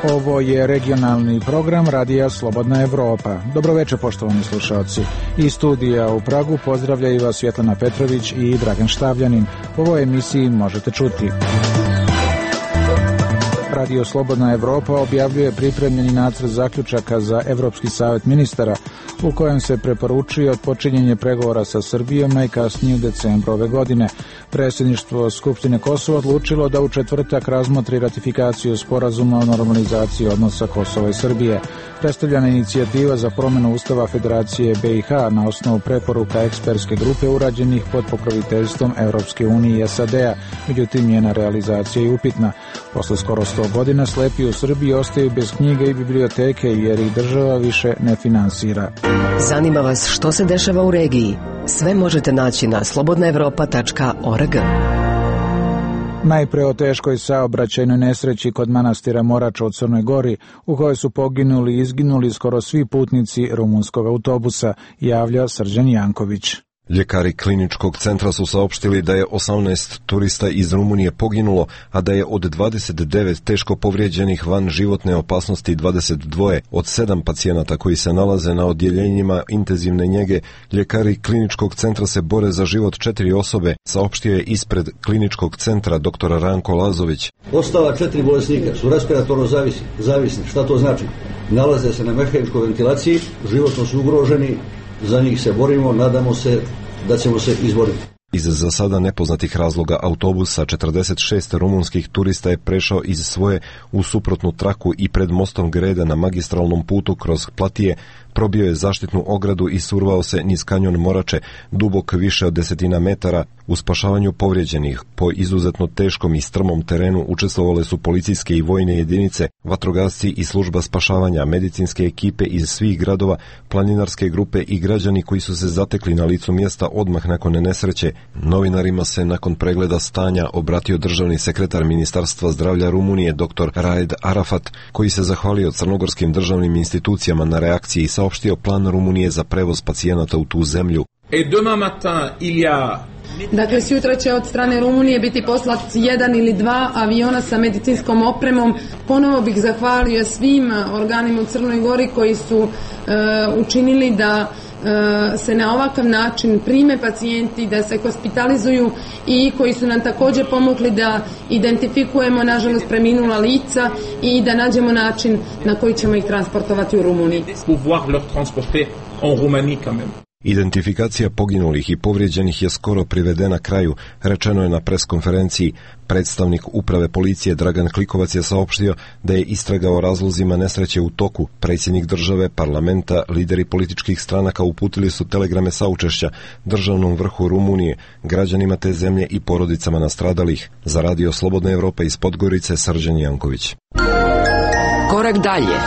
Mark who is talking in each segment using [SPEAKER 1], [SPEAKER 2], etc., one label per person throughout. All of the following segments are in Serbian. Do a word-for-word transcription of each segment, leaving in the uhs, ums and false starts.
[SPEAKER 1] Ovo je regionalni program Radija Slobodna Evropa. Dobroveče, poštovani slušalci. Iz studija u Pragu pozdravljaju vas Svjetlana Petrović i Dragan Štavljanin. U ovoj emisiji možete čuti: Radio Slobodna Evropa objavljuje pripremljeni nacrt zaključaka za Evropski savet ministara, u kojem se preporučuje odpočinjenje pregovora sa Srbijom najkasnije u decembru ove godine. Predsjedništvo Skupštine Kosova odlučilo da u četvrtak razmotri ratifikaciju sporazuma o normalizaciji odnosa Kosova i Srbije. Predstavljena inicijativa za promjenu Ustava Federacije B i H na osnovu preporuka ekspertske grupe urađenih pod pokroviteljstvom Evropske unije i S A D-a, međutim njena realizacija je upitna. Posle skoro sto godina slepi u Srbiji ostaju bez knjiga i biblioteke jer ih država više ne finansira.
[SPEAKER 2] Zanima vas što se dešava u regiji? Sve možete naći na slobodna evropa tačka org.
[SPEAKER 1] Najpre o teškoj saobraćajnoj nesreći kod manastira Morača u Crnoj Gori, u kojoj su poginuli i izginuli skoro svi putnici rumunskog autobusa, javlja Srđan Janković.
[SPEAKER 3] Ljekari kliničkog centra su saopštili da je osamnaest turista iz Rumunije poginulo, a da je od dvadeset devet teško povrijeđenih van životne opasnosti dvadeset dva. Od sedam pacijenata koji se nalaze na odjeljenjima intenzivne njege, ljekari kliničkog centra se bore za život četiri osobe, saopštio je ispred kliničkog centra dr. Ranko Lazović.
[SPEAKER 4] Ostala četiri bolesnika su respiratorno zavisni. zavisni. Šta to znači? Nalaze se na mehaničkoj ventilaciji, životno su ugroženi, za njih se borimo, nadamo se da ćemo se izboriti.
[SPEAKER 3] Iz za sada nepoznatih razloga autobusa četrdeset šest rumunskih turista je prešao iz svoje u suprotnu traku i pred mostom Grede na magistralnom putu kroz Platije probio je zaštitnu ogradu i survao se niz kanjon Morače, dubok više od desetina metara. U spašavanju povrijeđenih po izuzetno teškom i strmom terenu učestvovale su policijske i vojne jedinice, vatrogasci i služba spašavanja, medicinske ekipe iz svih gradova, planinarske grupe i građani koji su se zatekli na licu mjesta odmah nakon nesreće. Novinarima se nakon pregleda stanja obratio državni sekretar Ministarstva zdravlja Rumunije dr. Raed Arafat, koji se zahvalio crnogorskim državnim institucijama na reakciji i saopštio plan Rumunije za prevoz pacijenata u tu zemlju.
[SPEAKER 5] Et demain matin il y a
[SPEAKER 6] Dakle, sutra će od strane Rumunije biti poslat jedan ili dva aviona sa medicinskom opremom. Ponovo bih zahvalio svim organima u Crnoj Gori koji su uh, učinili da uh, se na ovakav način prime pacijenti, da se hospitalizuju i koji su nam također pomogli da identifikujemo, nažalost, preminula lica i da nađemo način na koji ćemo ih transportovati u Rumuniji.
[SPEAKER 5] pouvoir leur transporter en Roumanie quand même.
[SPEAKER 3] Identifikacija poginulih i povrijeđenih je skoro privedena kraju, rečeno je na preskonferenciji. Predstavnik uprave policije Dragan Klikovac je saopštio da je istraga o razlozima nesreće u toku. Predsjednik države, parlamenta, lideri političkih stranaka uputili su telegrame saučešća državnom vrhu Rumunije, građanima te zemlje i porodicama nastradalih. Za Radio Slobodna Evropa iz Podgorice, Srđan Janković.
[SPEAKER 2] Korak dalje.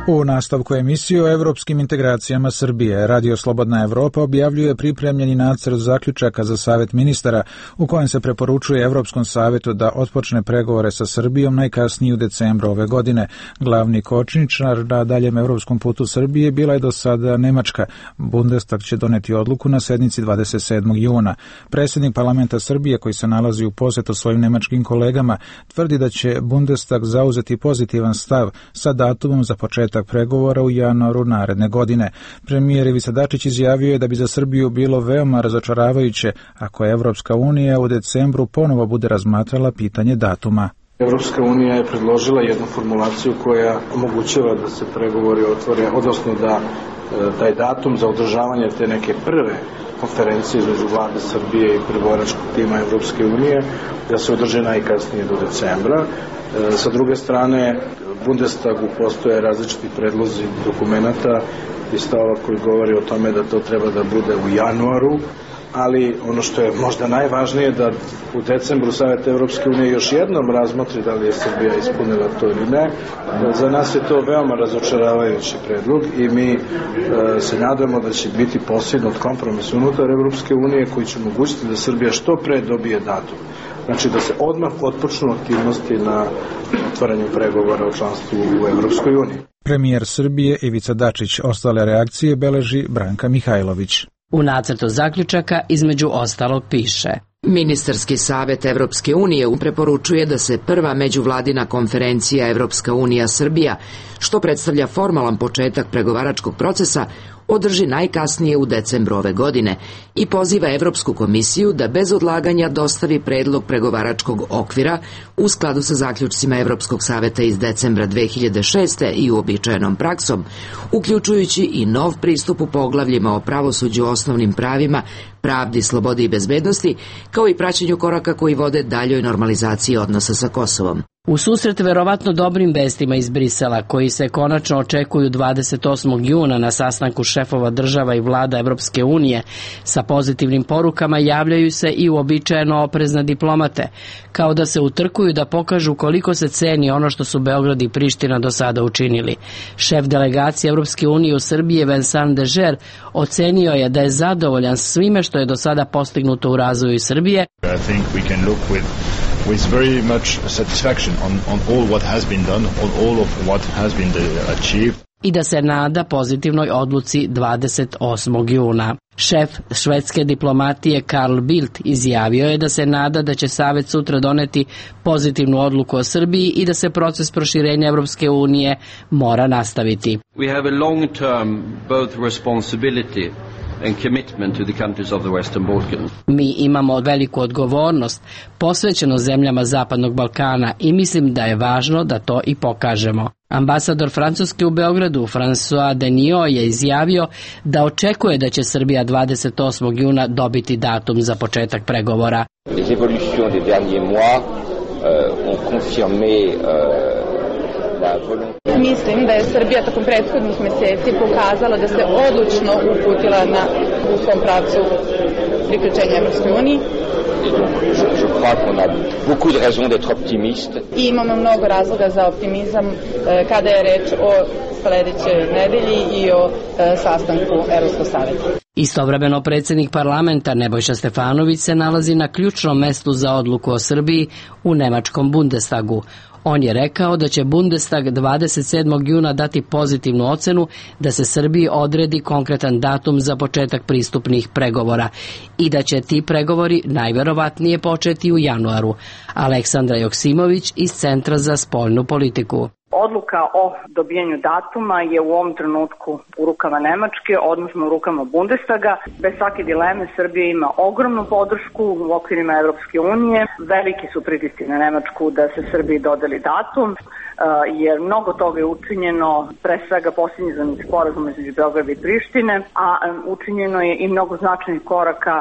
[SPEAKER 1] U nastavku emisije o evropskim integracijama Srbije, Radio Slobodna Evropa objavljuje pripremljeni nacrt zaključaka za Savet ministara, u kojem se preporučuje Evropskom savetu da otpočne pregovore sa Srbijom najkasnije u decembru ove godine. Glavni kočničar na daljem evropskom putu Srbije bila je do sada Nemačka. Bundestag će doneti odluku na sednici dvadeset sedmog juna. Predsjednik parlamenta Srbije, koji se nalazi u posjetu svojim nemačkim kolegama, tvrdi da će Bundestag zauzeti pozitivan stav sa datumom za početak pregovora u januaru naredne godine. Premijer Ivica Dačić izjavio je da bi za Srbiju bilo veoma razočaravajuće ako Evropska unija u decembru ponovo bude razmatrala pitanje datuma.
[SPEAKER 7] Evropska unija je predložila jednu formulaciju koja omogućava da se pregovori otvore, odnosno da taj datum za održavanje te neke prve konferencije između vlade Srbije i pregovaračkog tima Evropske unije da se održe najkasnije do decembra. Sa druge strane, Bundestagu postoje različiti predlozi dokumenata i stavova koji govori o tome da to treba da bude u januaru, ali ono što je možda najvažnije da u decembru Savet Evropske unije još jednom razmotri da li je Srbija ispunila to ili ne. Za nas je to veoma razočaravajući predlog i mi e, se nadamo da će biti postignut kompromis unutar Evropske unije koji će omogućiti da Srbija što pre dobije datum. Znači da se odmah otpočnu aktivnosti na otvaranju pregovora o članstvu u Evropskoj uniji.
[SPEAKER 1] Premijer Srbije Ivica Dačić. Ostale reakcije beleži Branka Mihajlović.
[SPEAKER 8] U nacrtu zaključaka između ostalog piše:
[SPEAKER 9] Ministarski savet Evropske unije preporučuje da se prva međuvladina konferencija Evropska unija Srbija, što predstavlja formalan početak pregovaračkog procesa, održi najkasnije u decembru ove godine i poziva Evropsku komisiju da bez odlaganja dostavi predlog pregovaračkog okvira u skladu sa zaključcima Evropskog saveta iz decembra dve hiljade šeste i uobičajenom praksom, uključujući i nov pristup u poglavljima o pravosuđu, osnovnim pravima, pravdi, slobodi i bezbednosti, kao i praćenju koraka koji vode daljoj normalizaciji odnosa sa Kosovom.
[SPEAKER 8] U susret verovatno dobrim vestima iz Brisela, koji se konačno očekuju dvadeset osmog juna na sastanku šefova država i vlada Evropske unije, sa pozitivnim porukama javljaju se i uobičajeno oprezne diplomate, kao da se utrkuju da pokažu koliko se ceni ono što su Beograd i Priština do sada učinili. Šef delegacije Evropske unije u Srbiji Vincent Dežer ocenio je da je zadovoljan svime što je do sada postignuto u razvoju Srbije.
[SPEAKER 10] I think we can look with with very much satisfaction on, on all what has been done, on all of what has been achieved.
[SPEAKER 8] I da se nada pozitivnoj odluci dvadeset osmog juna. Šef švedske diplomatije Carl Bildt izjavio je da se nada da će Savet sutra doneti pozitivnu odluku o Srbiji i da se proces proširenja Evropske unije mora nastaviti.
[SPEAKER 11] We have a long-term both responsibility and commitment to the countries of the Western Balkans.
[SPEAKER 8] Mi imamo veliku odgovornost posvećeno zemljama Zapadnog Balkana i mislim da je važno da to i pokažemo. Ambasador Francuske u Beogradu François Deniot je izjavio da očekuje da će Srbija dvadeset osmog juna dobiti datum za početak pregovora.
[SPEAKER 12] Les évolutions des derniers mois euh, ont confirmé euh,
[SPEAKER 6] Mislim da je Srbija tokom prethodnih meseci pokazala da se odlučno uputila na u svom pravcu priključenja Evropskoj uniji. I imamo mnogo razloga za optimizam kada je reč o sledećoj nedelji i o sastanku Evropskog saveta.
[SPEAKER 8] Istovremeno predsjednik parlamenta Nebojša Stefanović se nalazi na ključnom mestu za odluku o Srbiji u nemačkom Bundestagu. On je rekao da će Bundestag dvadeset sedmog juna dati pozitivnu ocenu da se Srbiji odredi konkretan datum za početak pristupnih pregovora i da će ti pregovori najverovatnije početi u januaru. Aleksandra Joksimović iz Centra za spoljnu politiku.
[SPEAKER 13] Odluka o dobijanju datuma je u ovom trenutku u rukama Nemačke, odnosno u rukama Bundestaga. Bez svake dileme Srbija ima ogromnu podršku u okvirima Evropske unije. Veliki su pritisci na Nemačku da se Srbiji dodeli datum, jer mnogo toga je učinjeno, pre svega posljednji sporazum između Beograda i Prištine, a učinjeno je i mnogo značajnih koraka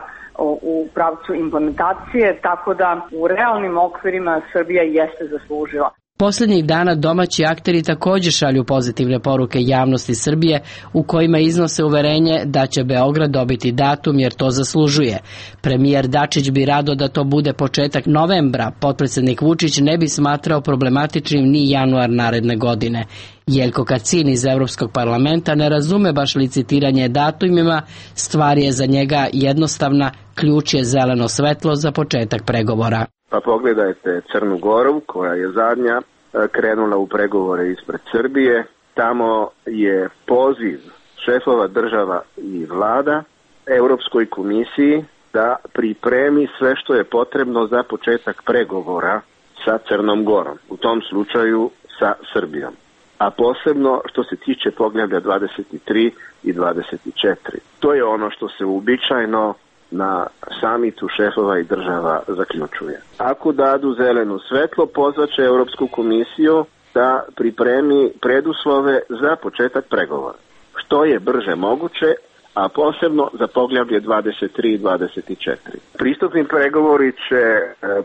[SPEAKER 13] u pravcu implementacije, tako da u realnim okvirima Srbija jeste zaslužila.
[SPEAKER 8] Posljednjih dana domaći akteri također šalju pozitivne poruke javnosti Srbije u kojima iznose uverenje da će Beograd dobiti datum jer to zaslužuje. Premijer Dačić bi rado da to bude početak novembra, potpredsjednik Vučić ne bi smatrao problematičnim ni januar naredne godine. Jelko Kacin iz Evropskog parlamenta ne razume baš licitiranje datumima, stvar je za njega jednostavna, ključ je zeleno svetlo za početak pregovora.
[SPEAKER 14] Pa pogledajte Crnu Goru koja je zadnja krenula u pregovore ispred Srbije. Tamo je poziv šefova država i vlada Europskoj komisiji da pripremi sve što je potrebno za početak pregovora sa Crnom Gorom, u tom slučaju sa Srbijom. A posebno što se tiče poglavlja dvadeset tri i dvadeset četiri. To je ono što se uobičajeno na samitu šefova i država zaključuje. Ako dadu zeleno svetlo, pozvaće Europsku komisiju da pripremi preduslove za početak pregovora. Što je brže moguće, a posebno za poglavlje dvadeset tri i dvadeset četiri. Pristupni pregovori će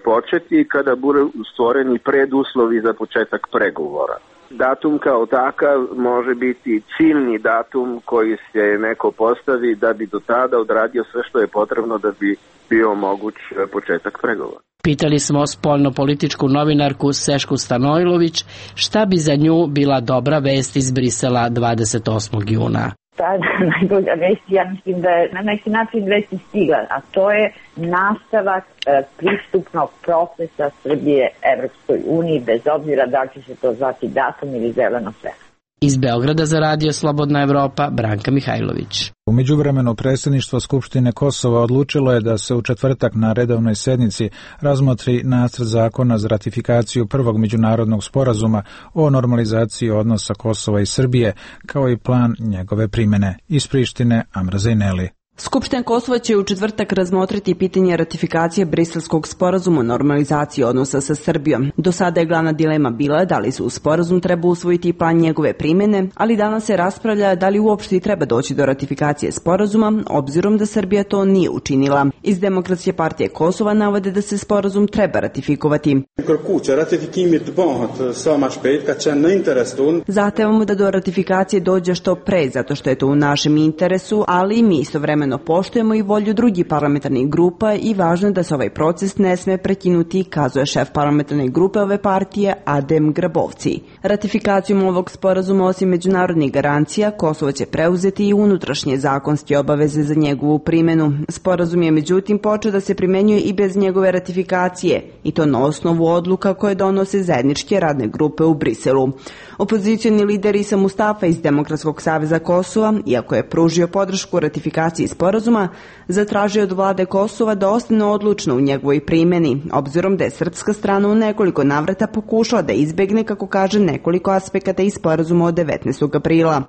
[SPEAKER 14] početi kada budu stvoreni preduslovi za početak pregovora. Datum kao takav može biti ciljni datum koji se neko postavi da bi do tada odradio sve što je potrebno da bi bio moguć početak pregovora.
[SPEAKER 8] Pitali smo spoljno-političku novinarku Sešku Stanojlović šta bi za nju bila dobra vest iz Brisela dvadeset osmog juna.
[SPEAKER 15] Ta najbolja vest, ja mislim da je na neki način već stigla, a to je nastavak e, pristupnog procesa Srbije Evropskoj uniji, bez obzira da će se to zvati datum ili zeleno svetlo.
[SPEAKER 8] Iz Beograda za Radio Slobodna Evropa, Branka Mihajlović.
[SPEAKER 1] U međuvremenu predsjedništvo Skupštine Kosova odlučilo je da se u četvrtak na redovnoj sednici razmotri nacrt zakona za ratifikaciju prvog međunarodnog sporazuma o normalizaciji odnosa Kosova i Srbije, kao i plan njegove primjene. Iz Prištine, Amra Zejneli.
[SPEAKER 16] Skupština Kosova će u četvrtak razmotriti pitanje ratifikacije Briselskog sporazuma o normalizaciji odnosa sa Srbijom. Do sada je glavna dilema bila da li se u sporazum treba usvojiti plan njegove primjene, ali danas se raspravlja da li uopšte treba doći do ratifikacije sporazuma, obzirom da Srbija to nije učinila. Iz Demokratske partije Kosova navode da se sporazum treba ratifikovati. Zahtevamo da do ratifikacije dođe što pre, zato što je to u našem interesu, ali mi istovremeno poštujemo i volju drugih parlamentarnih grupa i važno je da se ovaj proces ne sme prekinuti, kazuje šef parlamentarne grupe ove partije Adem Grabovci. Ratifikacijom ovog sporazuma osim međunarodnih garancija, Kosovo će preuzeti i unutrašnje zakonske obaveze za njegovu primjenu. Sporazum je međutim počeo da se primenjuje i bez njegove ratifikacije, i to na osnovu odluka koje donose zajedničke radne grupe u Briselu. Opozicioni lider Isa Mustafa iz Demokratskog saveza Kosova, iako je pružio podršku ratifikaciji sporazuma, zatražio od vlade Kosova da ostane odlučno u njegovoj primjeni, obzirom da je srpska strana u nekoliko navrata pokušala da izbegne, kako kaže, nekoliko aspekata iz sporazuma od devetnaestog aprila.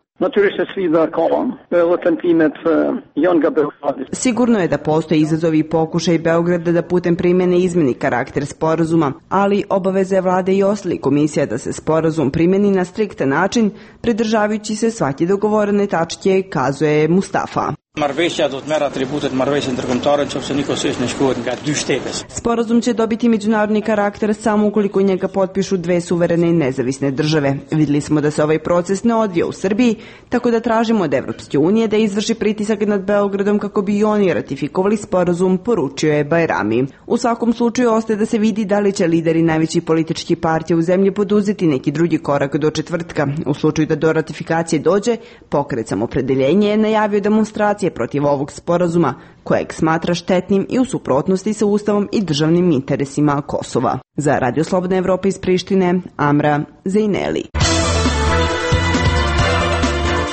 [SPEAKER 16] Sigurno je da postoje izazovi i pokušaj Beograda da putem primjene izmeni karakter sporazuma, ali obaveza je vlade i ostalih komisija da se sporazum primjeni na striktan način, pridržavajući se svake dogovorene tačke, kazuje Mustafa. Sporazum će dobiti međunarodni karakter samo ukoliko njega potpišu dve suverene i nezavisne države. Vidjeli smo da se ovaj proces ne odvija u Srbiji, tako da tražimo od Evropske unije da izvrši pritisak nad Beogradom kako bi i oni ratifikovali sporazum, poručio je Bajrami. U svakom slučaju ostaje da se vidi da li će lideri najvećih političkih partija u zemlji poduzeti neki drugi korak do četvrtka. U slučaju da do ratifikacije dođe, Pokret Samoopredjeljenje je najavio demonstracije protiv ovog sporazuma, kojeg smatra štetnim i u suprotnosti sa Ustavom i državnim interesima Kosova. Za Radio Slobodna Evropa iz Prištine, Amra Zejneli.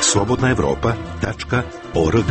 [SPEAKER 17] slobodna evropa tačka org.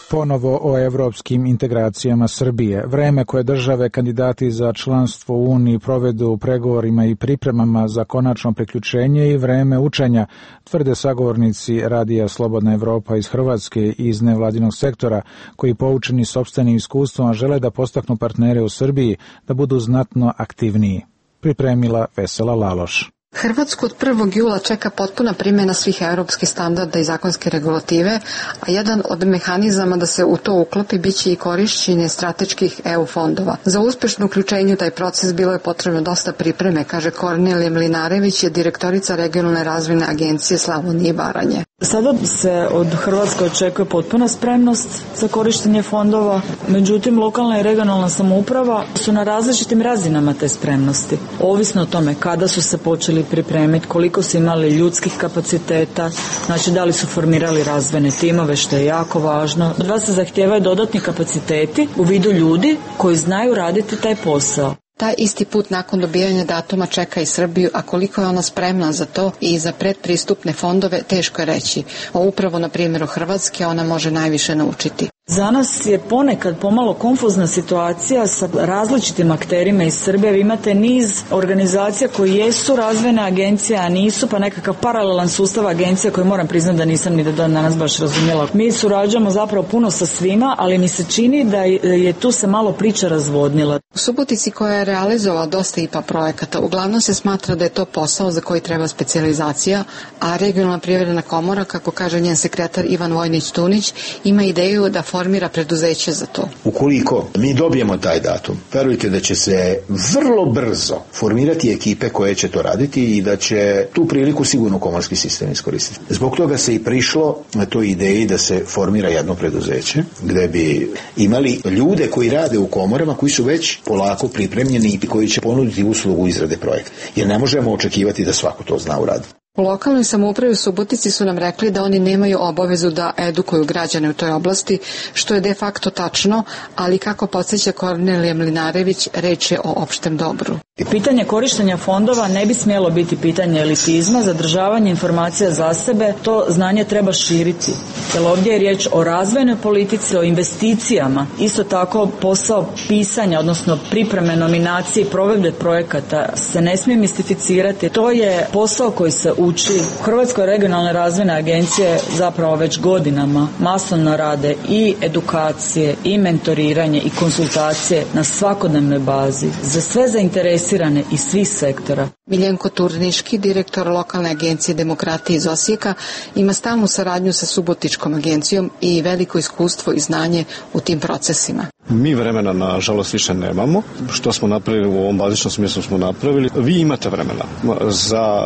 [SPEAKER 1] Ponovo o evropskim integracijama Srbije. Vreme koje države kandidati za članstvo u Uniji provedu u pregovorima i pripremama za konačno priključenje i vreme učenja, tvrde sagovornici Radija Slobodna Evropa iz Hrvatske i iz nevladinog sektora, koji poučeni sopstvenim iskustvom žele da postaknu partnere u Srbiji da budu znatno aktivniji. Pripremila Vesela Laloš.
[SPEAKER 18] Hrvatsku od prvog jula čeka potpuna primjena svih europskih standarda i zakonske regulative, a jedan od mehanizama da se u to uklopi biće i korišćenje strateških E U fondova. Za uspešno uključenje u taj proces bilo je potrebno dosta pripreme, kaže Kornelija Mlinarević, je direktorica regionalne razvojne agencije Slavonije i Baranje.
[SPEAKER 19] Sada se od Hrvatske očekuje potpuna spremnost za korištenje fondova, međutim lokalna i regionalna samouprava su na različitim razinama te spremnosti. Ovisno o tome kada su se počeli pripremiti, koliko su imali ljudskih kapaciteta, znači da li su formirali razvojne timove, što je jako važno. Od vas se zahtijevaju dodatni kapaciteti u vidu ljudi koji znaju raditi taj posao.
[SPEAKER 18] Taj isti put nakon dobijanja datuma čeka i Srbiju, a koliko je ona spremna za to i za predpristupne fondove, teško je reći. O upravo na primjeru Hrvatske ona može najviše naučiti.
[SPEAKER 19] Za nas je ponekad pomalo konfuzna situacija sa različitim akterima iz Srbije. Vi imate niz organizacija koji jesu razvojne agencije, a nisu, pa nekakav paralelan sustav agencija koji moram priznati da nisam ni do danas baš razumjela. Mi surađujemo zapravo puno sa svima, ali mi se čini da je tu se malo priča razvodnila.
[SPEAKER 18] U Subotici, koja je realizovala dosta I P A projekata, uglavnom se smatra da je to posao za koji treba specijalizacija, a regionalna privredna komora, kako kaže njen sekretar Ivan Vojnić-Tunić, ima ideju da formira preduzeće za to.
[SPEAKER 20] Ukoliko mi dobijemo taj datum, verujte da će se vrlo brzo formirati ekipe koje će to raditi i da će tu priliku sigurno komorski sistem iskoristiti. Zbog toga se i prišlo na toj ideji da se formira jedno preduzeće gde bi imali ljude koji rade u komorama, koji su već polako pripremljeni i koji će ponuditi uslugu izrade projekta. Jer ne možemo očekivati da svako to zna uraditi.
[SPEAKER 18] U lokalnoj samoupravi u Subotici su nam rekli da oni nemaju obavezu da edukuju građane u toj oblasti, što je de facto tačno, ali kako podsjeća Kornelija Mlinarević, reč je o opštem dobru.
[SPEAKER 19] Pitanje korištenja fondova ne bi smjelo biti pitanje elitizma, zadržavanje informacija za sebe, to znanje treba širiti. Jer ovdje je riječ o razvojnoj politici, o investicijama. Isto tako posao pisanja, odnosno pripreme nominacije i provedbe projekata se ne smije mistificirati. To je posao koji se uči. U Hrvatskoj regionalne razvojne agencije zapravo već godinama masovno rade i edukacije, i mentoriranje, i konsultacije na svakodnevnoj bazi za sve zainteresirane iz svih sektora.
[SPEAKER 18] Miljenko Turniški, direktor lokalne agencije demokratije iz Osijeka, ima stalnu saradnju sa Subotičkom agencijom i veliko iskustvo i znanje u tim procesima.
[SPEAKER 21] Mi vremena, nažalost, više nemamo. Što smo napravili u ovom bazičnom smislu smo napravili. Vi imate vremena. Za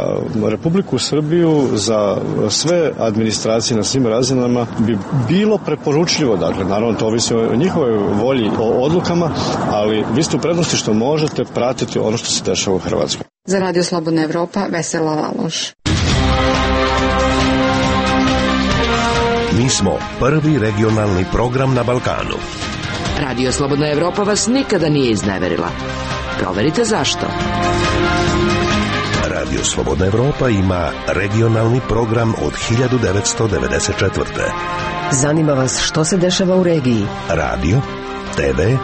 [SPEAKER 21] Republiku Srbiju, za sve administracije na svim razinama bi bilo preporučljivo, dakle, naravno to ovisi o njihovoj volji, o odlukama, ali vi ste u prednosti što možete pratiti ono što se dešava u Hrvatskoj.
[SPEAKER 18] Za Radio Slobodna Evropa, Vesela Laloš.
[SPEAKER 17] Mi smo prvi regionalni program na Balkanu.
[SPEAKER 9] Radio Slobodna Evropa vas nikada nije izneverila. Proverite zašto.
[SPEAKER 17] Radio Slobodna Evropa ima regionalni program od hiljadu devetsto devedeset četvrte.
[SPEAKER 2] Zanima vas što se dešava u regiji?
[SPEAKER 17] Radio, te ve,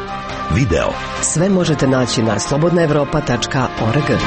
[SPEAKER 17] video.
[SPEAKER 2] Sve možete naći na slobodna evropa tačka org.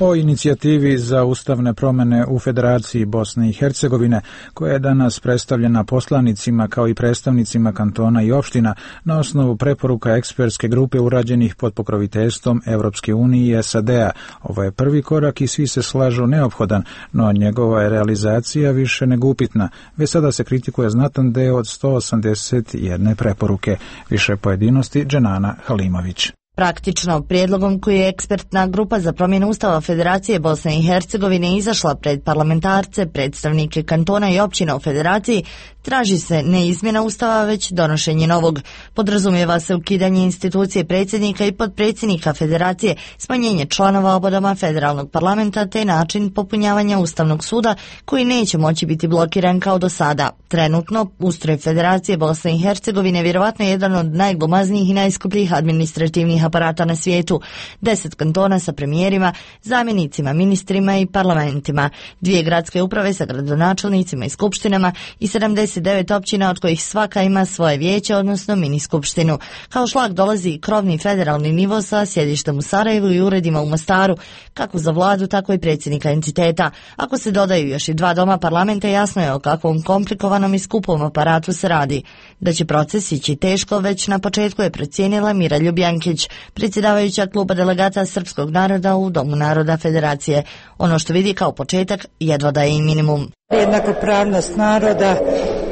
[SPEAKER 1] O inicijativi za ustavne promjene u Federaciji Bosne i Hercegovine, koja je danas predstavljena poslanicima kao i predstavnicima kantona i opština na osnovu preporuka ekspertske grupe urađenih pod pokroviteljstvom Evropske unije i es a de a. Ovo je prvi korak i svi se slažu neophodan, no njegova je realizacija više nego upitna. Već sada se kritikuje znatan deo od sto osamdeset jedne preporuke. Više pojedinosti Dženana Halimović.
[SPEAKER 22] Praktično, prijedlogom koji je ekspertna grupa za promjenu Ustava Federacije Bosne i Hercegovine izašla pred parlamentarce, predstavnike kantona i općina u Federaciji, traži se ne izmjena Ustava, već donošenje novog. Podrazumijeva se ukidanje institucije predsjednika i potpredsjednika Federacije, smanjenje članova oba doma federalnog parlamenta te način popunjavanja Ustavnog suda koji neće moći biti blokiran kao do sada. Trenutno, ustroj Federacije Bosne i Hercegovine vjerovatno je jedan od najglomaznijih i najskupljih administrativnih aparata na svijetu. Deset kantona sa premijerima, zamjenicima, ministrima i parlamentima. Dvije gradske uprave sa gradonačelnicima i skupštinama i sedamdeset devet općina od kojih svaka ima svoje vijeće, odnosno mini skupštinu. Kao šlag dolazi krovni federalni nivo sa sjedištem u Sarajevu i uredima u Mostaru, kako za vladu, tako i predsjednika entiteta. Ako se dodaju još i dva doma parlamenta, jasno je o kakvom komplikovanom i skupom aparatu se radi. Da će proces ići teško, već na početku je procijenila Mira Ljubjankić, predsjedavajuća kluba delegata srpskog naroda u Domu naroda Federacije. Ono što vidi kao početak jedva da je i minimum.
[SPEAKER 23] Jednakopravnost naroda,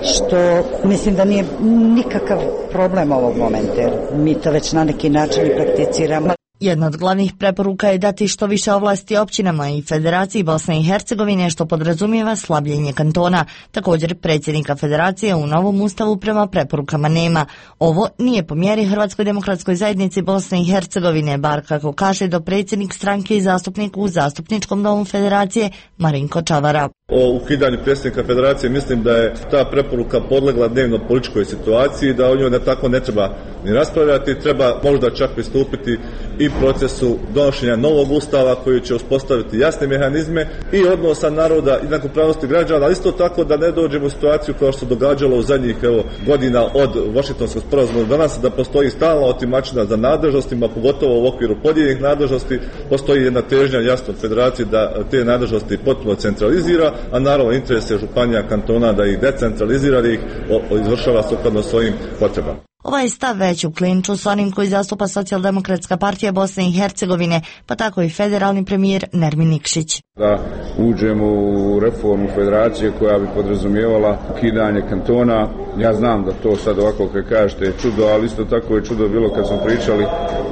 [SPEAKER 23] što mislim da nije nikakav problem ovog momenta, jer mi to već na neki način i prakticiramo.
[SPEAKER 22] Jedna od glavnih preporuka je dati što više ovlasti općinama i Federaciji Bosne i Hercegovine, što podrazumijeva slabljenje kantona. Također, predsjednika Federacije u novom ustavu prema preporukama nema. Ovo nije po mjeri Hrvatskoj demokratskoj zajednici Bosne i Hercegovine, bar kako kaže dopredsjednik stranke i zastupnik u Zastupničkom domu Federacije Marinko Čavara.
[SPEAKER 24] O ukidanju predsjednika Federacije mislim da je ta preporuka podlegla dnevno političkoj situaciji, da o njoj ne tako ne treba ni raspravljati, treba možda čak pristupiti i procesu donošenja novog ustava koji će uspostaviti jasne mehanizme i odnosa naroda i jednakopravnosti građana, ali isto tako da ne dođemo u situaciju kao što se događalo u zadnjih evo, godina od Vašingtonskog sporazuma do danas, da postoji stalna otimačina za nadležnostima, pogotovo u okviru podijeljenih nadležnosti, postoji jedna težnja jasno od Federacije da te nadležnosti potpuno centralizira, a naravno interes je županija, kantona da ih decentralizira, da ih izvršava sukladno svojim potrebama.
[SPEAKER 22] Ovaj stav već u klinču s onim koji zastupa Socijaldemokratska partija Bosne i Hercegovine, pa tako i federalni premijer Nermin Nikšić.
[SPEAKER 25] Da uđemo u reformu federacije koja bi podrazumijevala ukidanje kantona. Ja znam da to sad ovako kad kažete je čudo, ali isto tako je čudo bilo kad smo pričali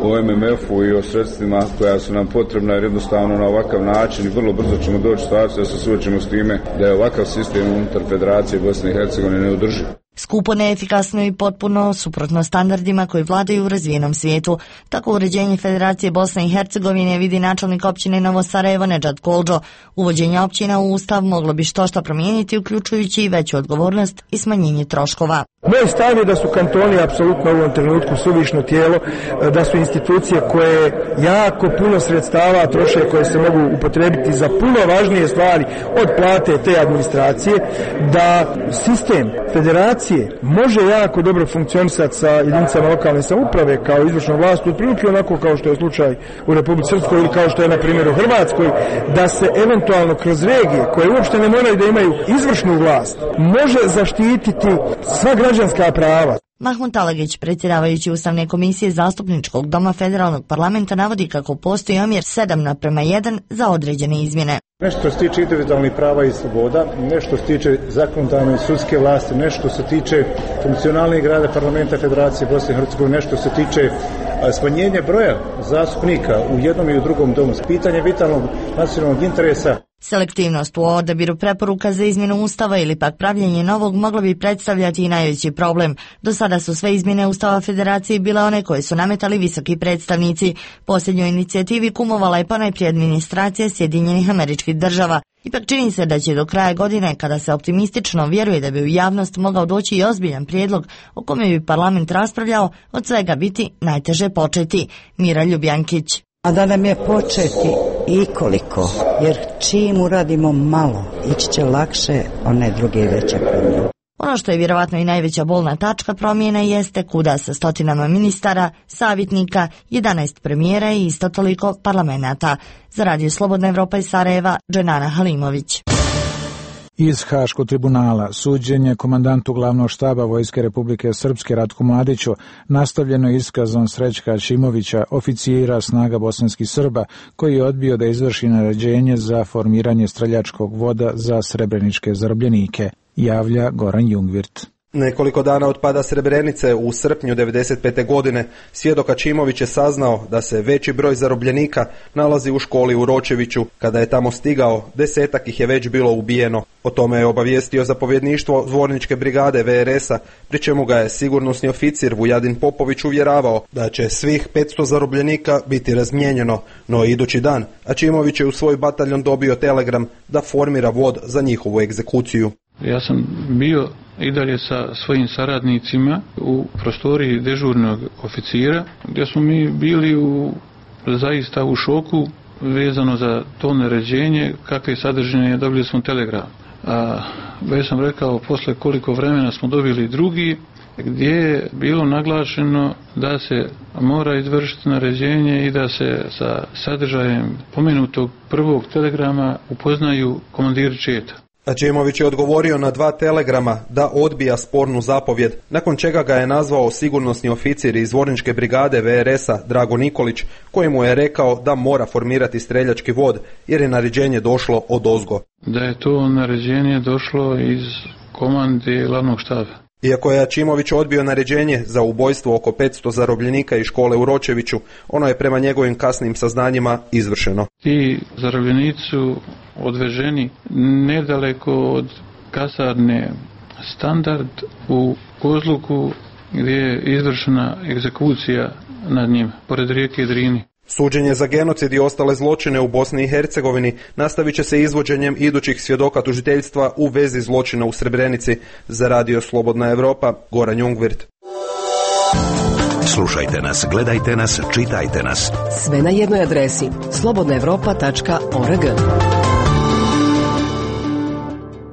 [SPEAKER 25] o em em efu i o sredstvima koja su nam potrebna, jer jednostavno na ovakav način i vrlo brzo ćemo doći u situaciju da se suočimo s time da je ovakav sistem unutar Federacije Bosne i Hercegovine neodrživ.
[SPEAKER 22] Skupo, neefikasno i potpuno suprotno standardima koji vladaju u razvijenom svijetu. Tako uređenje Federacije Bosne i Hercegovine vidi načelnik općine Novo Sarajevo Nedžad Koldžo. Uvođenje općina u ustav moglo bi što što promijeniti, uključujući i veću odgovornost i smanjenje troškova.
[SPEAKER 3] Moj stav je da su kantoni apsolutno u ovom trenutku suvišno tijelo, da su institucije koje jako puno sredstava troše, koje se mogu upotrebiti za puno važnije stvari od plate te administracije, da sistem federacije može jako dobro funkcionisati sa jedinicama lokalne samouprave kao izvršnom vlasti, otprilike onako kao što je slučaj u Republici Srpskoj ili kao što je na primjer u Hrvatskoj, da se eventualno kroz regije koje uopšte ne moraju da imaju izvršnu vlast može zaštititi sva građanska prava.
[SPEAKER 22] Mahmut Alagić, predsjedavajući Ustavne komisije Zastupničkog doma Federalnog parlamenta, navodi kako postoji omjer sedam naprema jedan za određene izmjene.
[SPEAKER 4] Nešto se tiče individualnih prava i sloboda, nešto se tiče zakonodavne i sudske vlasti, nešto se tiče funkcionalnih grada parlamenta Federacije Bosne i Hercegovine, nešto se tiče smanjenja broja zastupnika u jednom i u drugom domu, pitanje vitalnog nacionalnog interesa.
[SPEAKER 22] Selektivnost u odabiru preporuka za izmjenu Ustava ili pak pravljenje novog moglo bi predstavljati i najveći problem. Do sada su sve izmjene Ustava Federacije bile one koje su nametali visoki predstavnici. Posljednjoj inicijativi kumovala je ponajprije administracija Sjedinjenih Američkih Država. Ipak čini se da će do kraja godine, kada se optimistično vjeruje da bi u javnost mogao doći i ozbiljan prijedlog o kome bi parlament raspravljao, od svega biti najteže početi. Mira Ljubjankić.
[SPEAKER 23] A da nam je početi i koliko, jer čim uradimo malo, ići će lakše one druge veće promjene.
[SPEAKER 22] Ono što je vjerovatno i najveća bolna tačka promjene jeste kuda sa stotinama ministara, savjetnika, jedanaest premijera i isto toliko parlamenata. Za Radio Slobodna Evropa iz Sarajeva, Dženana Halimović.
[SPEAKER 1] Iz Haškog tribunala suđenje komandantu glavnog štaba Vojske Republike Srpske Ratku Mladiću nastavljeno iskazom Srećka Šimovića, oficijera snaga bosanskih Srba, koji je odbio da izvrši naređenje za formiranje streljačkog voda za srebreničke zarobljenike, javlja Goran Jungvirt.
[SPEAKER 5] Nekoliko dana od pada Srebrenice u srpnju devedeset pete. godine svjedok Ačimović je saznao da se veći broj zarobljenika nalazi u školi u Ročeviću. Kada je tamo stigao, desetak ih je već bilo ubijeno. O tome je obavijestio zapovjedništvo Zvorničke brigade V R S-a, pri čemu ga je sigurnosni oficir Vujadin Popović uvjeravao da će svih petsto zarobljenika biti razmijenjeno, no idući dan Ačimović je u svoj bataljon dobio telegram da formira vod za njihovu egzekuciju.
[SPEAKER 7] Ja sam bio i dalje sa svojim saradnicima u prostoriji dežurnog oficira, gdje smo mi bili u, zaista u šoku vezano za to naređenje, kakve sadržine dobili smo telegram. A već sam rekao, posle koliko vremena smo dobili drugi, gdje je bilo naglašeno da se mora izvršiti naređenje i da se sa sadržajem pomenutog prvog telegrama upoznaju komandiri četa.
[SPEAKER 5] Ačimović je odgovorio na dva telegrama da odbija spornu zapovjed, nakon čega ga je nazvao sigurnosni oficir iz Zvorničke brigade V R S-a Drago Nikolić, kojemu je rekao da mora formirati streljački vod jer je naređenje došlo odozgo.
[SPEAKER 7] Da je to naređenje došlo iz komande glavnog štaba.
[SPEAKER 5] Iako je Ačimović odbio naređenje za ubojstvo oko petsto zarobljenika iz škole u Ročeviću, ono je prema njegovim kasnim saznanjima izvršeno.
[SPEAKER 7] Ti zarobljenici su odveženi nedaleko od kasarne Standard u Kozluku, gdje je izvršena egzekucija nad njim, pored rijeke Drini.
[SPEAKER 5] Suđenje za genocid i ostale zločine u Bosni i Hercegovini nastavit će se izvođenjem idućih svjedoka tužiteljstva u vezi zločina u Srebrenici. Za Radio Slobodna Evropa, Goran Jungvirt.
[SPEAKER 17] Slušajte nas, gledajte nas, čitajte nas.
[SPEAKER 2] Sve na jednoj adresi slobodna evropa tačka org.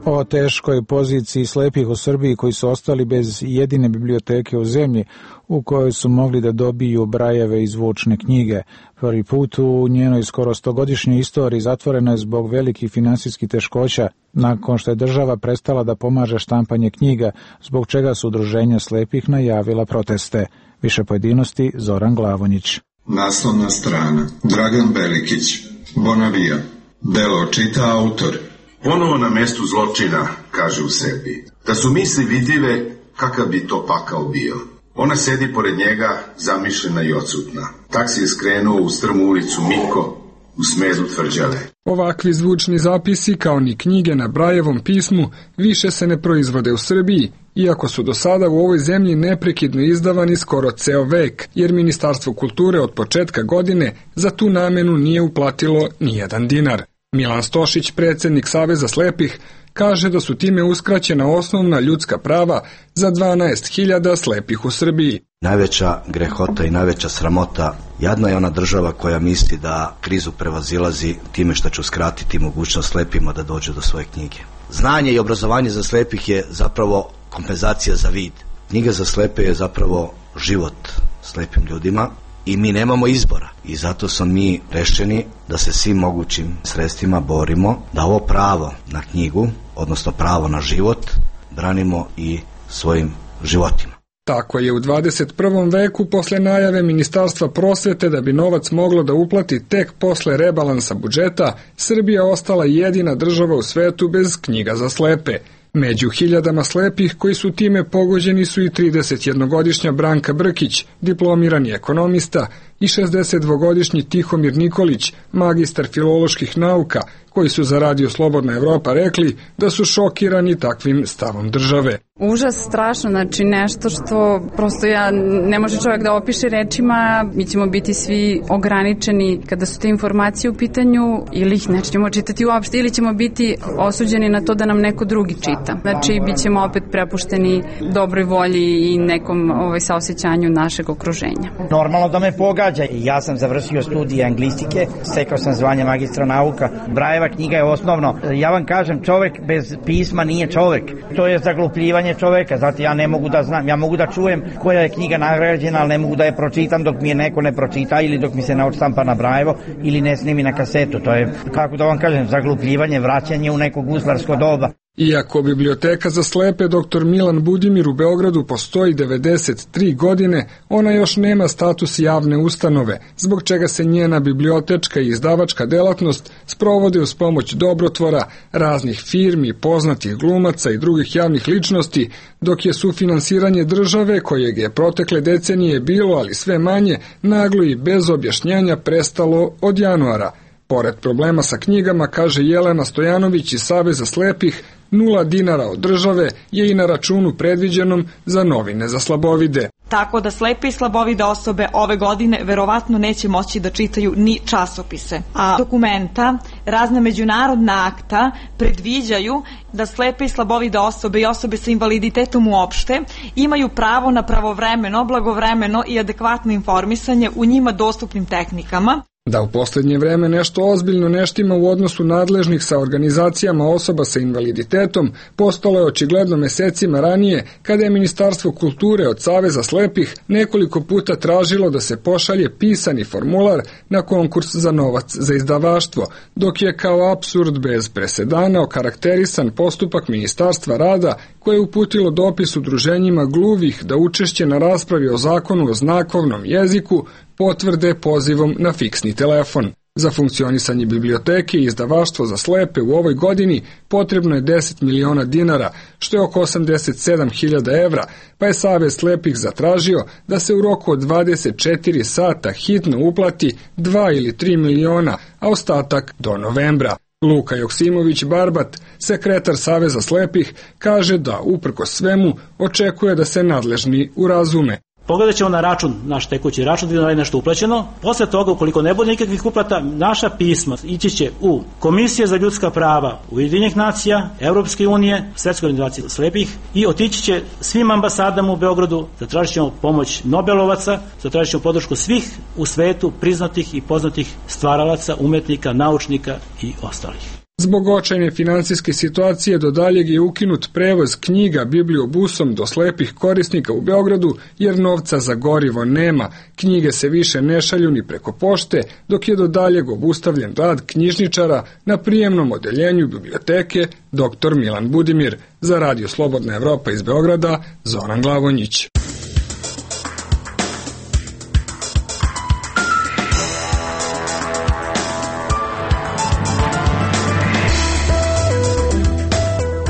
[SPEAKER 1] O teškoj poziciji slepih u Srbiji koji su ostali bez jedine biblioteke u zemlji u kojoj su mogli da dobiju brajeve i zvučne knjige. Prvi put u njenoj skoro stogodišnjoj istoriji zatvorena je zbog velikih finansijskih teškoća nakon što je država prestala da pomaže štampanje knjiga, zbog čega su udruženja slepih najavila proteste. Više pojedinosti Zoran Glavonjić.
[SPEAKER 10] Naslovna strana. Dragan Belikić, Bonavija. Delo čita autor. Ponovo na mjestu zločina, kaže u sebi. Da su misli vidljive, kakav bi to pakao bio. Ona sedi pored njega, zamišljena i odsutna. Taksi je skrenuo u strmu ulicu Miko, u smezu tvrđave.
[SPEAKER 26] Ovakvi zvučni zapisi, kao ni knjige na Brajevom pismu, više se ne proizvode u Srbiji, iako su do sada u ovoj zemlji neprekidno izdavani skoro ceo vek, jer Ministarstvo kulture od početka godine za tu namenu nije uplatilo ni jedan dinar. Milan Stošić, predsjednik Saveza slepih, kaže da su time uskraćena osnovna ljudska prava za dvanaest hiljada slepih u Srbiji.
[SPEAKER 6] Najveća grehota i najveća sramota, jadna je ona država koja misli da krizu prevazilazi time što će uskratiti mogućnost slepima da dođu do svoje knjige. Znanje i obrazovanje za slepih je zapravo kompenzacija za vid. Knjiga za slepe je zapravo život slepim ljudima i mi nemamo izbora. I zato smo mi rešeni da se svim mogućim sredstvima borimo da ovo pravo na knjigu, odnosno pravo na život, branimo i svojim životima.
[SPEAKER 26] Tako je u dvadeset prvom veku posle najave Ministarstva prosvete da bi novac moglo da uplati tek posle rebalansa budžeta, Srbija ostala jedina država u svetu bez knjiga za slepe. Među hiljadama slepih koji su time pogođeni su i tridesetjednogodišnja Branka Brkić, diplomirani ekonomista, i šezdesetdvogodišnji Tihomir Nikolić, magistar filoloških nauka, koji su za Radio Slobodna Evropa rekli da su šokirani takvim stavom države.
[SPEAKER 11] Užas, strašno, znači nešto što prosto ja, ne može čovjek da opiše rečima, mi ćemo biti svi ograničeni kada su te informacije u pitanju ili ih nećemo čitati uopšte ili ćemo biti osuđeni na to da nam neko drugi čita. Znači, bit ćemo opet prepušteni dobroj volji i nekom ovaj, saosećanju našeg okruženja.
[SPEAKER 12] Normalno da me pogađa. Ja sam završio studije anglistike, stekao sam zvanje magistra nauka. Brajeva knjiga je osnovno. Ja vam kažem, čovjek bez pisma nije čovjek. To je zaglupljivanje čovjeka, zato ja ne mogu da znam, ja mogu da čujem koja je knjiga nagrađena, ali ne mogu da je pročitam dok mi je neko ne pročita ili dok mi se ne odštampa na Brajevo ili ne snimi na kasetu. To je, kako da vam kažem, zaglupljivanje, vraćanje u neko guslarsko doba.
[SPEAKER 26] Iako biblioteka za slepe doktor Milan Budimir u Beogradu postoji devedeset tri godine, ona još nema status javne ustanove, zbog čega se njena bibliotečka i izdavačka delatnost sprovode uz pomoć dobrotvora, raznih firmi, poznatih glumaca i drugih javnih ličnosti, dok je sufinansiranje države, kojeg je protekle decenije bilo, ali sve manje, naglo i bez objašnjenja prestalo od januara. Pored problema sa knjigama, kaže Jelena Stojanović iz Saveza slepih, nula dinara od države je i na računu predviđenom za novine za slabovide.
[SPEAKER 13] Tako da slepe i slabovide osobe ove godine verovatno neće moći da čitaju ni časopise. A dokumenta, razna međunarodna akta predviđaju da slepe i slabovide osobe i osobe sa invaliditetom uopšte imaju pravo na pravovremeno, blagovremeno i adekvatno informisanje u njima dostupnim tehnikama.
[SPEAKER 26] Da u posljednje vreme nešto ozbiljno neštima u odnosu nadležnih sa organizacijama osoba sa invaliditetom postalo je očigledno mesecima ranije kada je Ministarstvo kulture od Saveza slepih nekoliko puta tražilo da se pošalje pisani formular na konkurs za novac za izdavaštvo, dok je kao apsurd bez presedana okarakterisan postupak Ministarstva rada koje je uputilo dopis udruženjima gluvih da učešće na raspravi o zakonu o znakovnom jeziku potvrde pozivom na fiksni telefon. Za funkcionisanje biblioteke i izdavaštvo za slepe u ovoj godini potrebno je deset miliona dinara, što je oko osamdeset sedam hiljada evra, pa je Savez slepih zatražio da se u roku od dvadeset četiri sata hitno uplati dva ili tri miliona, a ostatak do novembra. Luka Joksimović-Barbat, sekretar Saveza slepih, kaže da, uprkos svemu, očekuje da se nadležni urazume.
[SPEAKER 14] Pogledat ćemo na račun, naš tekući račun, da je nešto uplaćeno. Posle toga, ukoliko ne bude nikakvih uplata, naša pisma ići će u Komisije za ljudska prava Ujedinjenih nacija, Evropske unije, Svetske organizacije slepih i otići će svim ambasadama u Beogradu, zatražit ćemo pomoć Nobelovaca, zatražit ćemo podršku svih u svetu priznatih i poznatih stvaralaca, umetnika, naučnika i ostalih.
[SPEAKER 26] Zbog očajne finansijske situacije do daljeg je ukinut prevoz knjiga bibliobusom do slepih korisnika u Beogradu jer novca za gorivo nema. Knjige se više ne šalju ni preko pošte, dok je do daljeg obustavljen rad knjižničara na prijemnom odeljenju biblioteke doktor Milan Budimir. Za Radio Slobodna Evropa iz Beograda, Zoran Glavonjić.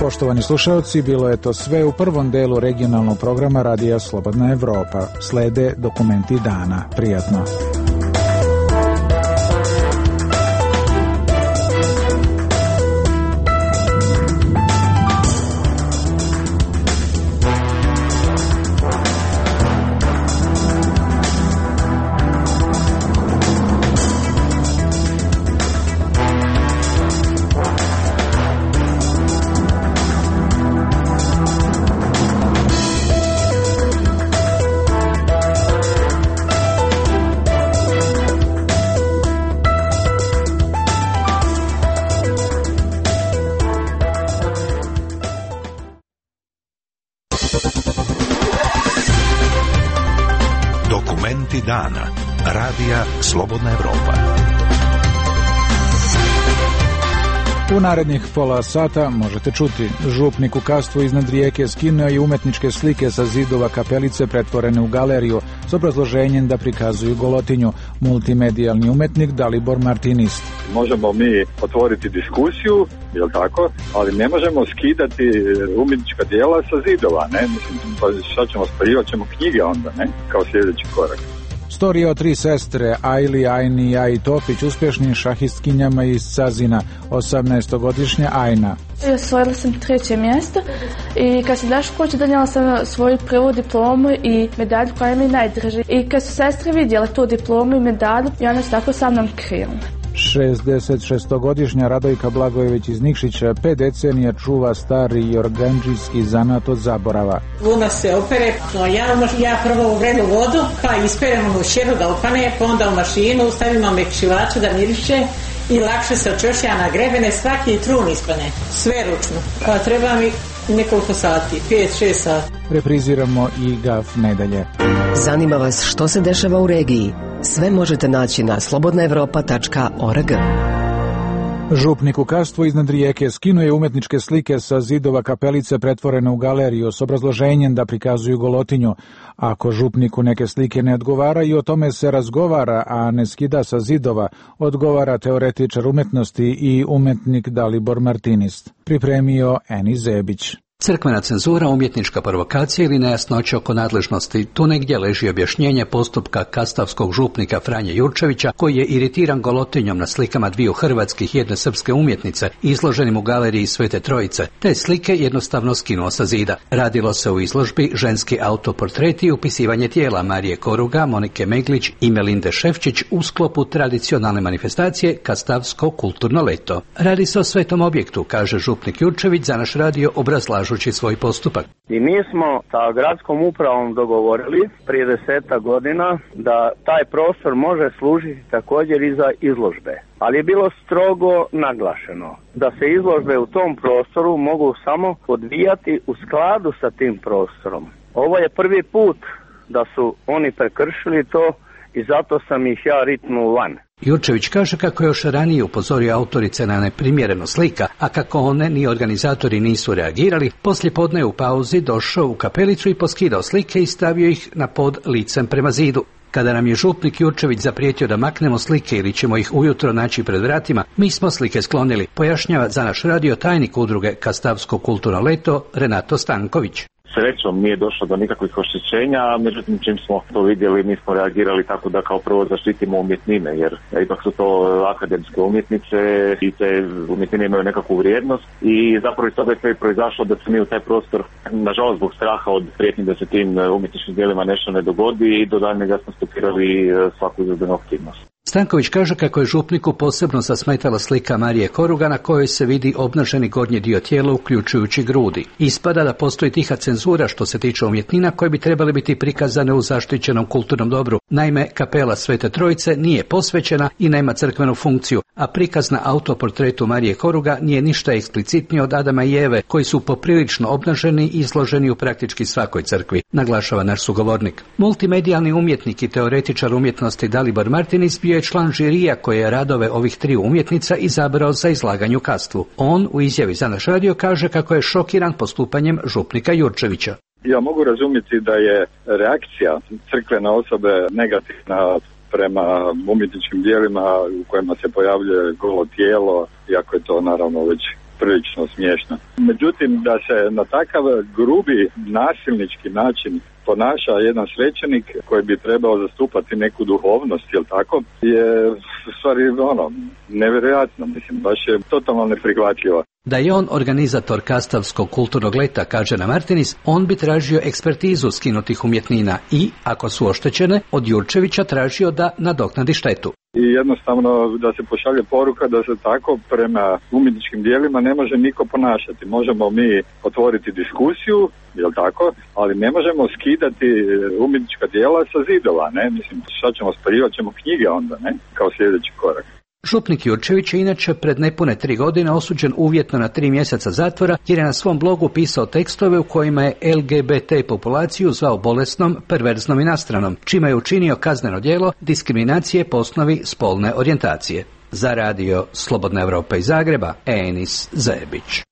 [SPEAKER 1] Poštovani slušalci, bilo je to sve u prvom delu regionalnog programa Radija Slobodna Evropa. Slede dokumenti dana. Prijatno.
[SPEAKER 17] Dokumenti dana. Radija Slobodna Evropa.
[SPEAKER 1] U narednih pola sata možete čuti: župnik u Kastvu iznad rijeke skinuo i umetničke slike sa zidova kapelice pretvorene u galeriju s obrazloženjem da prikazuju golotinju. Multimedijalni umetnik Dalibor Martinist.
[SPEAKER 8] Možemo mi otvoriti diskusiju, jel tako, ali ne možemo skidati umjetnička djela sa zidova, ne? Mislim, pa šta ćemo spaljivat ćemo knjige onda, ne? Kao sljedeći korak.
[SPEAKER 1] Storija o tri sestre, Ajli, Ajni i Aji Topić, uspješnim šahistkinjama iz Cazina. osamnaestogodišnja Ajna.
[SPEAKER 15] Osvojila sam treće mjesto i kad sam došla kući donijela sam svoju prvu diplomu i medalju koja mi je najdraža. I kad su sestre vidjela tu diplomu i medalju, i one su tako sa mnom krenule.
[SPEAKER 1] šezdesetšestogodišnja Radojka Blagojević iz Nikšića pet decenija čuva stari jorganđijski zanat od zaborava.
[SPEAKER 16] Luna se opere, no ja, ja prvo uvredu vodu, pa isperemo u šeru da opane, pa onda u mašinu stavimo mekšivaču da miriše i lakše se očešlja na grebene, svaki trun ispane, sve ručno. Pa treba mi nekoliko sati, pet šest sati.
[SPEAKER 1] Repriziramo i Gaf nedelje.
[SPEAKER 2] Zanima vas što se dešava u regiji? Sve možete naći na slobodna evropa tačka org.
[SPEAKER 1] Župnik u Kastvu iznad rijeke skinuo je umetničke slike sa zidova kapelice pretvorene u galeriju s obrazloženjem da prikazuju golotinju. Ako župniku neke slike ne odgovara i o tome se razgovara, a ne skida sa zidova, odgovara teoretičar umetnosti i umetnik Dalibor Martinist. Pripremio Eni Zebić.
[SPEAKER 19] Crkvena cenzura, umjetnička provokacija ili nejasnoća oko nadležnosti, tu negdje leži objašnjenje postupka kastavskog župnika Franje Jurčevića, koji je iritiran golotinjom na slikama dviju hrvatskih i jedne srpske umjetnice izloženim u galeriji Svete Trojice. Te slike jednostavno skinuo sa zida. Radilo se u izložbi ženski autoportreti i upisivanje tijela Marije Koruga, Monike Meglić i Melinde Šefčić u sklopu tradicionalne manifestacije Kastavsko kulturno leto. Radi se o svetom objektu, kaže župnik Jurčević za naš radio obrazlažu svoj postupak.
[SPEAKER 20] I mi smo sa gradskom upravom dogovorili prije deseta godina da taj prostor može služiti također i za izložbe. Ali je bilo strogo naglašeno da se izložbe u tom prostoru mogu samo odvijati u skladu sa tim prostorom. Ovo je prvi put da su oni prekršili to i zato sam ih ja ritnuo van.
[SPEAKER 19] Jurčević kaže kako je još ranije upozorio autorice na neprimjereno slika, a kako one ni organizatori nisu reagirali, poslije podne je u pauzi došao u kapelicu i poskidao slike i stavio ih na pod licem prema zidu. Kada nam je župnik Jurčević zaprijetio da maknemo slike ili ćemo ih ujutro naći pred vratima, mi smo slike sklonili, pojašnjava za naš radio tajnik udruge Kastavsko kulturno leto Renato Stanković.
[SPEAKER 21] Srećom nije došlo do nikakvih oštećenja, međutim čim smo to vidjeli mi smo reagirali tako da kao prvo zaštitimo umjetnine, jer ipak su to akademske umjetnice i te umjetnine imaju nekakvu vrijednost i zapravo iz toga je sve proizašlo da se mi u taj prostor, nažalost zbog straha od prijetnji da se tim umjetničkim djelima nešto ne dogodi i do daljnjega smo stopirali svaku izvedbenu aktivnost.
[SPEAKER 19] Stanković kaže kako je župniku posebno zasmetala slika Marije Koruga na kojoj se vidi obnaženi gornji dio tijela uključujući grudi. Ispada da postoji tiha cenzura što se tiče umjetnina koje bi trebali biti prikazane u zaštićenom kulturnom dobru. Naime, kapela Svete Trojice nije posvećena i nema crkvenu funkciju, a prikaz na autoportretu Marije Koruga nije ništa eksplicitnije od Adama i Eve, koji su poprilično obnaženi i izloženi u praktički svakoj crkvi, naglašava naš sugovornik. Multimedijalni umjetnik i teoretičar umjetnosti Dalibor Martinist bio je član žirija koje je radove ovih tri umjetnica izabrao za izlaganje u Kastvu. On u izjavi za naš radio kaže kako je šokiran postupanjem župnika Jurčevića.
[SPEAKER 8] Ja mogu razumjeti da je reakcija crkvene osobe negativna prema umjetničkim dijelima u kojima se pojavljuje golo tijelo, iako je to naravno već prilično smiješno. Međutim, da se na takav grubi nasilnički način ponaša jedan svećenik koji bi trebao zastupati neku duhovnost, jel tako, je u stvari ono, nevjerojatno, mislim, baš je totalno neprihvatljivo.
[SPEAKER 19] Da je on organizator Kastavskog kulturnog leta, kaže na Martinis, on bi tražio ekspertizu skinutih umjetnina i, ako su oštećene, od Jurčevića tražio da nadoknadi štetu.
[SPEAKER 8] I jednostavno da se pošalje poruka da se tako prema umjetničkim dijelima ne može niko ponašati. Možemo mi otvoriti diskusiju, jel tako, ali ne možemo skidati umjetnička dijela sa zidova, ne? Mislim, šta ćemo spaljivat ćemo knjige onda, ne? Kao sljedeći korak.
[SPEAKER 19] Župnik Jurčević je inače pred nepune tri godine osuđen uvjetno na tri mjeseca zatvora jer je na svom blogu pisao tekstove u kojima je L G B T populaciju zvao bolesnom, perverznom i nastranom, čime je učinio kazneno djelo diskriminacije po osnovi spolne orijentacije. Za radio Slobodna Evropa iz Zagreba, Enis Zajebić.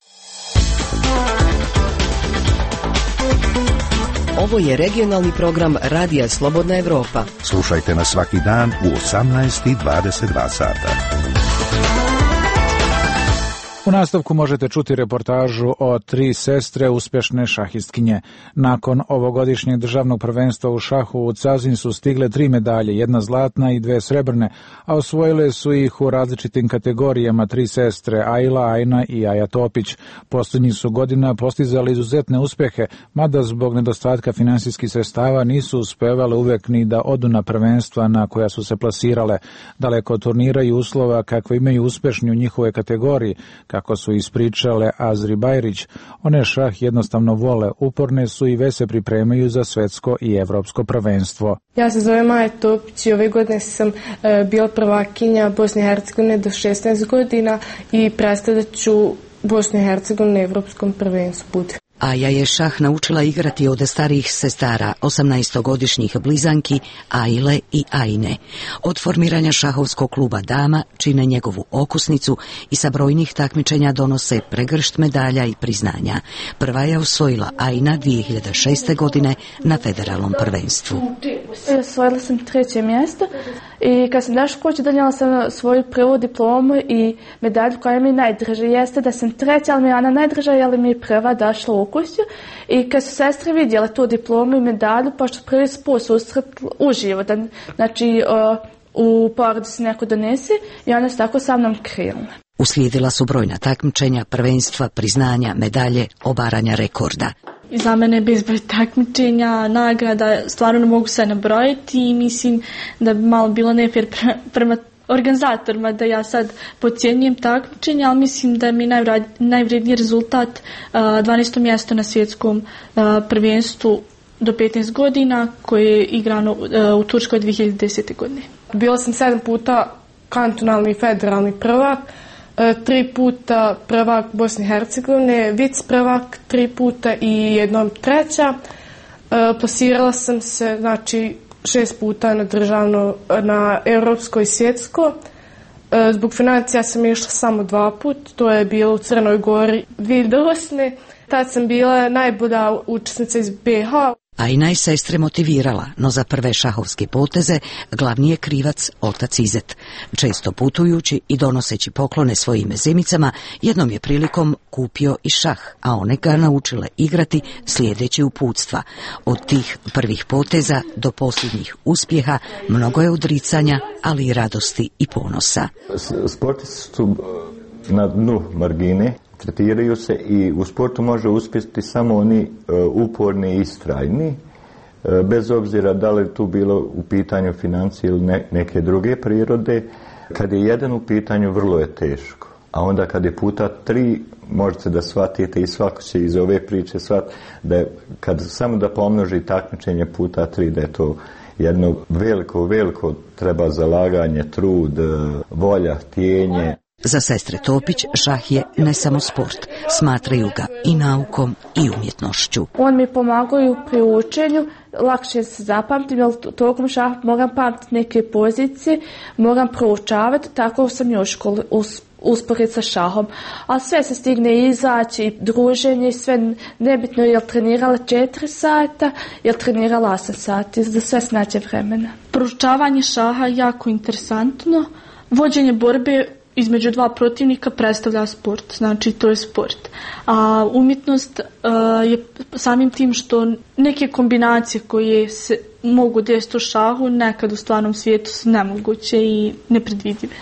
[SPEAKER 2] Ovo je regionalni program Radija Slobodna Evropa.
[SPEAKER 17] Slušajte nas svaki dan u osamnaest i dvadeset dva sata.
[SPEAKER 1] U nastavku možete čuti reportažu o tri sestre uspješne šahistkinje. Nakon ovogodišnjeg državnog prvenstva u šahu u Cazin su stigle tri medalje, jedna zlatna i dve srebrne, a osvojile su ih u različitim kategorijama tri sestre Ajla, Ajna i Aja Topić. Posljednjih su godina postizali izuzetne uspjehe, mada zbog nedostatka finansijskih sredstava nisu uspevale uvek ni da odu na prvenstva na koja su se plasirale. Daleko od turnira i uslova kakve imaju uspješni u njihovoj kategoriji, kako su ispričale Azri Bajrić, one šah jednostavno vole, uporne su i već se pripremaju za svetsko i evropsko prvenstvo.
[SPEAKER 15] Ja se zovem Aja Topić i ove godine sam e, bila prvakinja Bosne i Hercegovine do šesnaest godina i predstavljat ću Bosnu i Hercegovinu na evropskom prvenstvu.
[SPEAKER 2] Aja je šah naučila igrati od starijih sestara, osamnaestogodišnjih blizanki Ajle i Ajne. Od formiranja šahovskog kluba dama čine njegovu okusnicu i sa brojnih takmičenja donose pregršt medalja i priznanja. Prva je osvojila Ajna dvije hiljade šeste. godine na federalnom prvenstvu.
[SPEAKER 15] Osvojila sam treće mjesto i kad sam došla kući donijela sam svoju prvu diplomu i medalju koja mi je najdraža. Jeste da sam treća, ali mi je ona najdraža jer mi je prva došla u kuću. I kad su sestre vidjele tu diplomu i medalju, pošto prvi put susret uživo, da, znači u porodici neko donese i one su tako sa mnom krenule.
[SPEAKER 2] Uslijedila su brojna takmičenja, prvenstva, priznanja, medalje, obaranja rekorda.
[SPEAKER 15] I za mene je bezbroj takmičenja, nagrada, stvarno ne mogu sve nabrojiti i mislim da bi malo bilo nefer prema organizatorima da ja sad podcjenjujem takmičenje, ali mislim da mi je najvredniji rezultat dvanaesto mjesto na svjetskom prvenstvu do petnaest godina koje je igrano u Turskoj dvije hiljade desete. godine. Bila sam sedam puta kantonalni i federalni prvak, tri puta prvak Bosne i Hercegovine, vic prvak tri puta i jednom treća. Plasirala sam se, znači, šest puta na državno, na europsko i svjetsko. Zbog financija sam išla samo dva put, to je bilo u Crnoj Gori dvije hiljade osme. Tad sam bila najbolja učesnica iz B H.
[SPEAKER 2] Ajna je sestre motivirala, no za prve šahovske poteze glavni je krivac otac Izet. Često putujući i donoseći poklone svojim zemicama, jednom je prilikom kupio i šah, a one ga naučile igrati slijedeći uputstva. Od tih prvih poteza do posljednjih uspjeha mnogo je odricanja, ali i radosti i ponosa.
[SPEAKER 3] Sportisti su na dnu margine, tretiraju se i u sportu može uspjeti samo oni uh, uporni i istrajni, uh, bez obzira da li tu bilo u pitanju financije ili ne, neke druge prirode. Kad je jedan u pitanju, vrlo je teško. A onda kad je puta tri, možete da shvatite i svako će iz ove priče shvatiti da je, kad samo da pomnoži takmičenje puta tri, da je to jedno veliko, veliko treba zalaganje, trud, volja, htjenje.
[SPEAKER 2] Za sestre Topić šah je ne samo sport, smatraju ga i naukom i umjetnošću.
[SPEAKER 15] On mi pomagaju pri učenju, lakše se zapamtim, jer tokom šaha moram pamtiti neke pozicije, moram proučavati, tako sam i u školi usporediti sa šahom. Ali sve se stigne izaći, druženje, sve nebitno je li trenirala četiri sata, je li trenirala osam sati, za sve snađe vremena. Proučavanje šaha je jako interesantno, vođenje borbe između dva protivnika predstavlja sport, znači to je sport. A umjetnost uh, je samim tim što neke kombinacije koje se mogu desiti u šahu nekad u stvarnom svijetu su nemoguće i nepredvidive.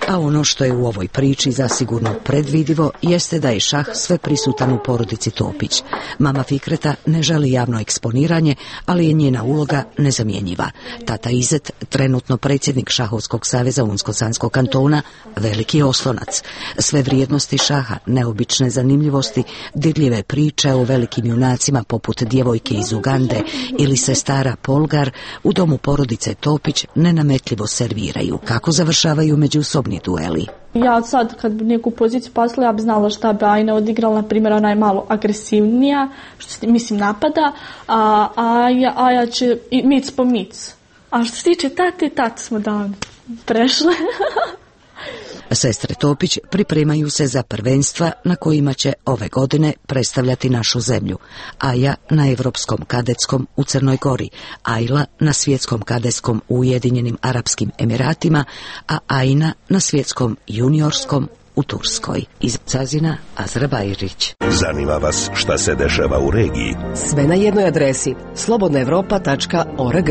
[SPEAKER 2] A ono što je u ovoj priči zasigurno predvidivo jeste da je šah sve prisutan u porodici Topić. Mama Fikreta ne želi javno eksponiranje, ali je njena uloga nezamjenjiva. Tata Izet, trenutno predsjednik Šahovskog saveza Unsko-Sanskog kantona, veliki oslonac. Sve vrijednosti šaha, neobične zanimljivosti, dirljive priče o velikim junacima poput djevojke iz Ugande ili sestara Polgar u domu porodice Topić nenametljivo serviraju. Kako završavaju međusobni
[SPEAKER 22] dueli.
[SPEAKER 15] Ja sad kad bi neku poziciju poslala, ja bi znala šta bi Ajna odigrala, na primjer ona je malo agresivnija, što se, mislim napada, a Aja, Aja će i mic po mic. A što se tiče tate, tate smo davno prešle.
[SPEAKER 2] Sestre Topić pripremaju se za prvenstva na kojima će ove godine predstavljati našu zemlju. Aja na Evropskom kadetskom u Crnoj Gori, Ajla na Svjetskom kadetskom u Ujedinjenim Arapskim Emiratima, a Ajna na Svjetskom juniorskom u Turskoj. Iz Cazina, Azra Bajrić.
[SPEAKER 17] Zanima vas šta se dešava u regiji?
[SPEAKER 4] Sve na jednoj adresi slobodna evropa tačka org.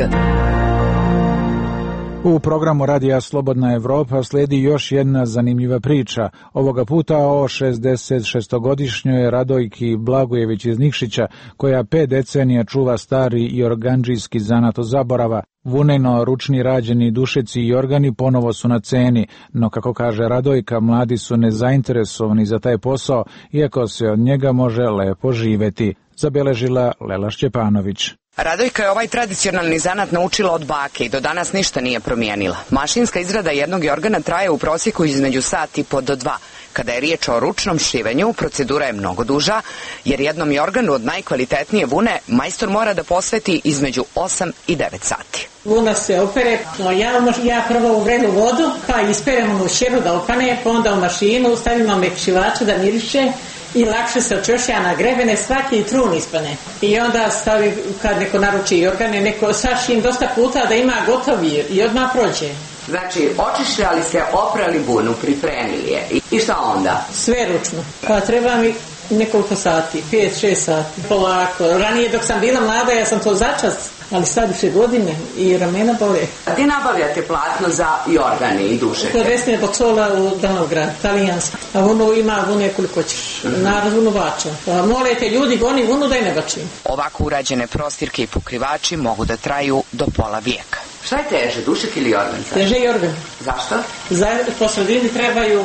[SPEAKER 1] U programu Radija Slobodna Evropa slijedi još jedna zanimljiva priča, ovoga puta o šezdeset šestogodišnjoj Radojki Blagojević iz Nikšića, koja pet decenija čuva stari i organdžijski zanat od zaborava. Vuneno ručni rađeni dušeci i organi ponovo su na ceni, no kako kaže Radojka, mladi su nezainteresovani za taj posao, iako se od njega može lepo živeti. Zabeležila Lela Šćepanović.
[SPEAKER 9] Radojka je ovaj tradicionalni zanat naučila od bake i do danas ništa nije promijenila. Mašinska izrada jednog jorgana traje u prosjeku između sat i po do dva. Kada je riječ o ručnom šivenju, procedura je mnogo duža, jer jednom jorganu od najkvalitetnije vune majstor mora da posveti između osam i devet sati.
[SPEAKER 16] Vuna se opere, no ja, ja prvo u vrelu vodu, pa isperemo u šeru da opane, pa onda u mašinu stavimo mekšivača da miriše, i lakše se očešlja na grebene, svaki trun ispane. I onda stavi, kad neko naruči jorgane, neko sašim dosta puta da ima gotovi i odmah prođe.
[SPEAKER 9] Znači, očišljali se, oprali bunu, pripremili je. I šta onda?
[SPEAKER 16] Sve ručno. Pa treba mi nekoliko sati, pet, šest sati. Polako. Ranije dok sam bila mlada, ja sam to začas, ali sad više godine i ramena bole.
[SPEAKER 9] A ti nabavljate platno za jorgane i dušeke?
[SPEAKER 16] Kod Vesne Bocola u Danovgrad, talijanski. A vunu ima vune koliko ćeš. Narod vunu bača. Pa molite ljudi, goni vunu da je ne bačim.
[SPEAKER 9] Ovako urađene prostirke i pokrivači mogu da traju do pola vijeka. Šta je teže, dušek ili jorgan?
[SPEAKER 16] Teže jorgan.
[SPEAKER 9] Zašto?
[SPEAKER 16] Za, po sredini trebaju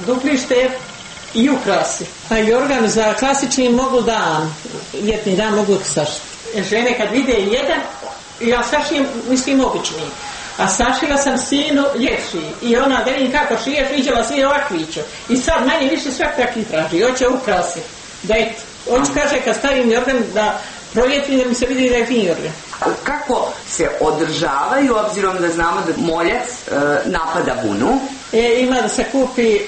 [SPEAKER 16] dupli štep i ukrasi. A jorgan za klasični mogu dan, ljetni dan mogu sašiti. Žene kad vide jedan, ja sašijem, mislim, obični. A sašila sam sinu ljepši. I ona, da vidim kako šiješ, vidjela si ovakviću. I sad manje više sve takvi traži. Hoće ukrasi. Da je, hoće kaže kad stavim jorgan da proljetni da mi se vidi da je fin jorgan.
[SPEAKER 9] Kako se održavaju, obzirom da znamo da moljac e, napada vunu?
[SPEAKER 16] E, ima da se kupi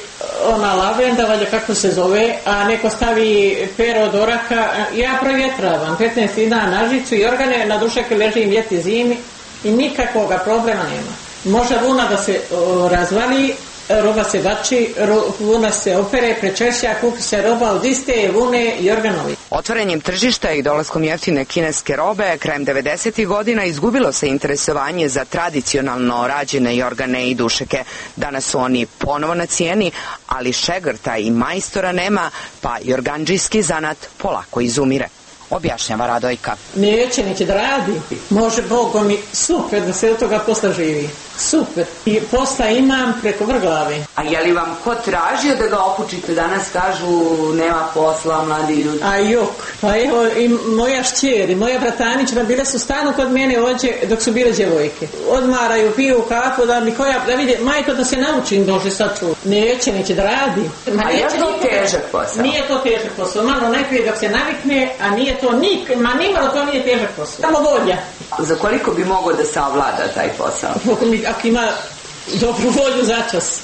[SPEAKER 16] ona lavenda, valjda kako se zove, a neko stavi pero od oraka. Ja provjetravam, petnaest dana na žicu i organe, na dušek ležim ljeti zimi i nikakvoga problema nema. Može vuna da se o, razvali, roba se bači, ro, vuna se opere, prečešlja, kupi se roba od iste vune i organovi.
[SPEAKER 9] Otvaranjem tržišta i dolaskom jeftine kineske robe, krajem devedesetih godina izgubilo se interesovanje za tradicionalno rađene jorgane i dušeke. Danas su oni ponovo na cijeni, ali šegrta i majstora nema, pa jorgandžijski zanat polako izumire. Objašnjava Radojka.
[SPEAKER 16] Neće, neće da radi. Može Bogom i super da se od toga posla živi. Super. I posla imam preko vrglave.
[SPEAKER 9] A je li vam ko tražio da ga opučite? Danas kažu nema posla, mladi ljudi.
[SPEAKER 16] A jok. Pa evo i moja šćer i moja bratanična bile su stalno kod mene ođe dok su bile djevojke. Odmaraju, piju kafu da mi koja, da vide, majko da se naučim dože sad ču. Neće, neće da radi.
[SPEAKER 9] Ma a je to težak posao?
[SPEAKER 16] Nije to težak posao. Malo najprije dok se navikne, a nije to nik, ma nimalo to nije težak posao. Samo volja.
[SPEAKER 9] Za koliko bi mogao da savlada taj posao?
[SPEAKER 16] Ako ima dobru volju začas.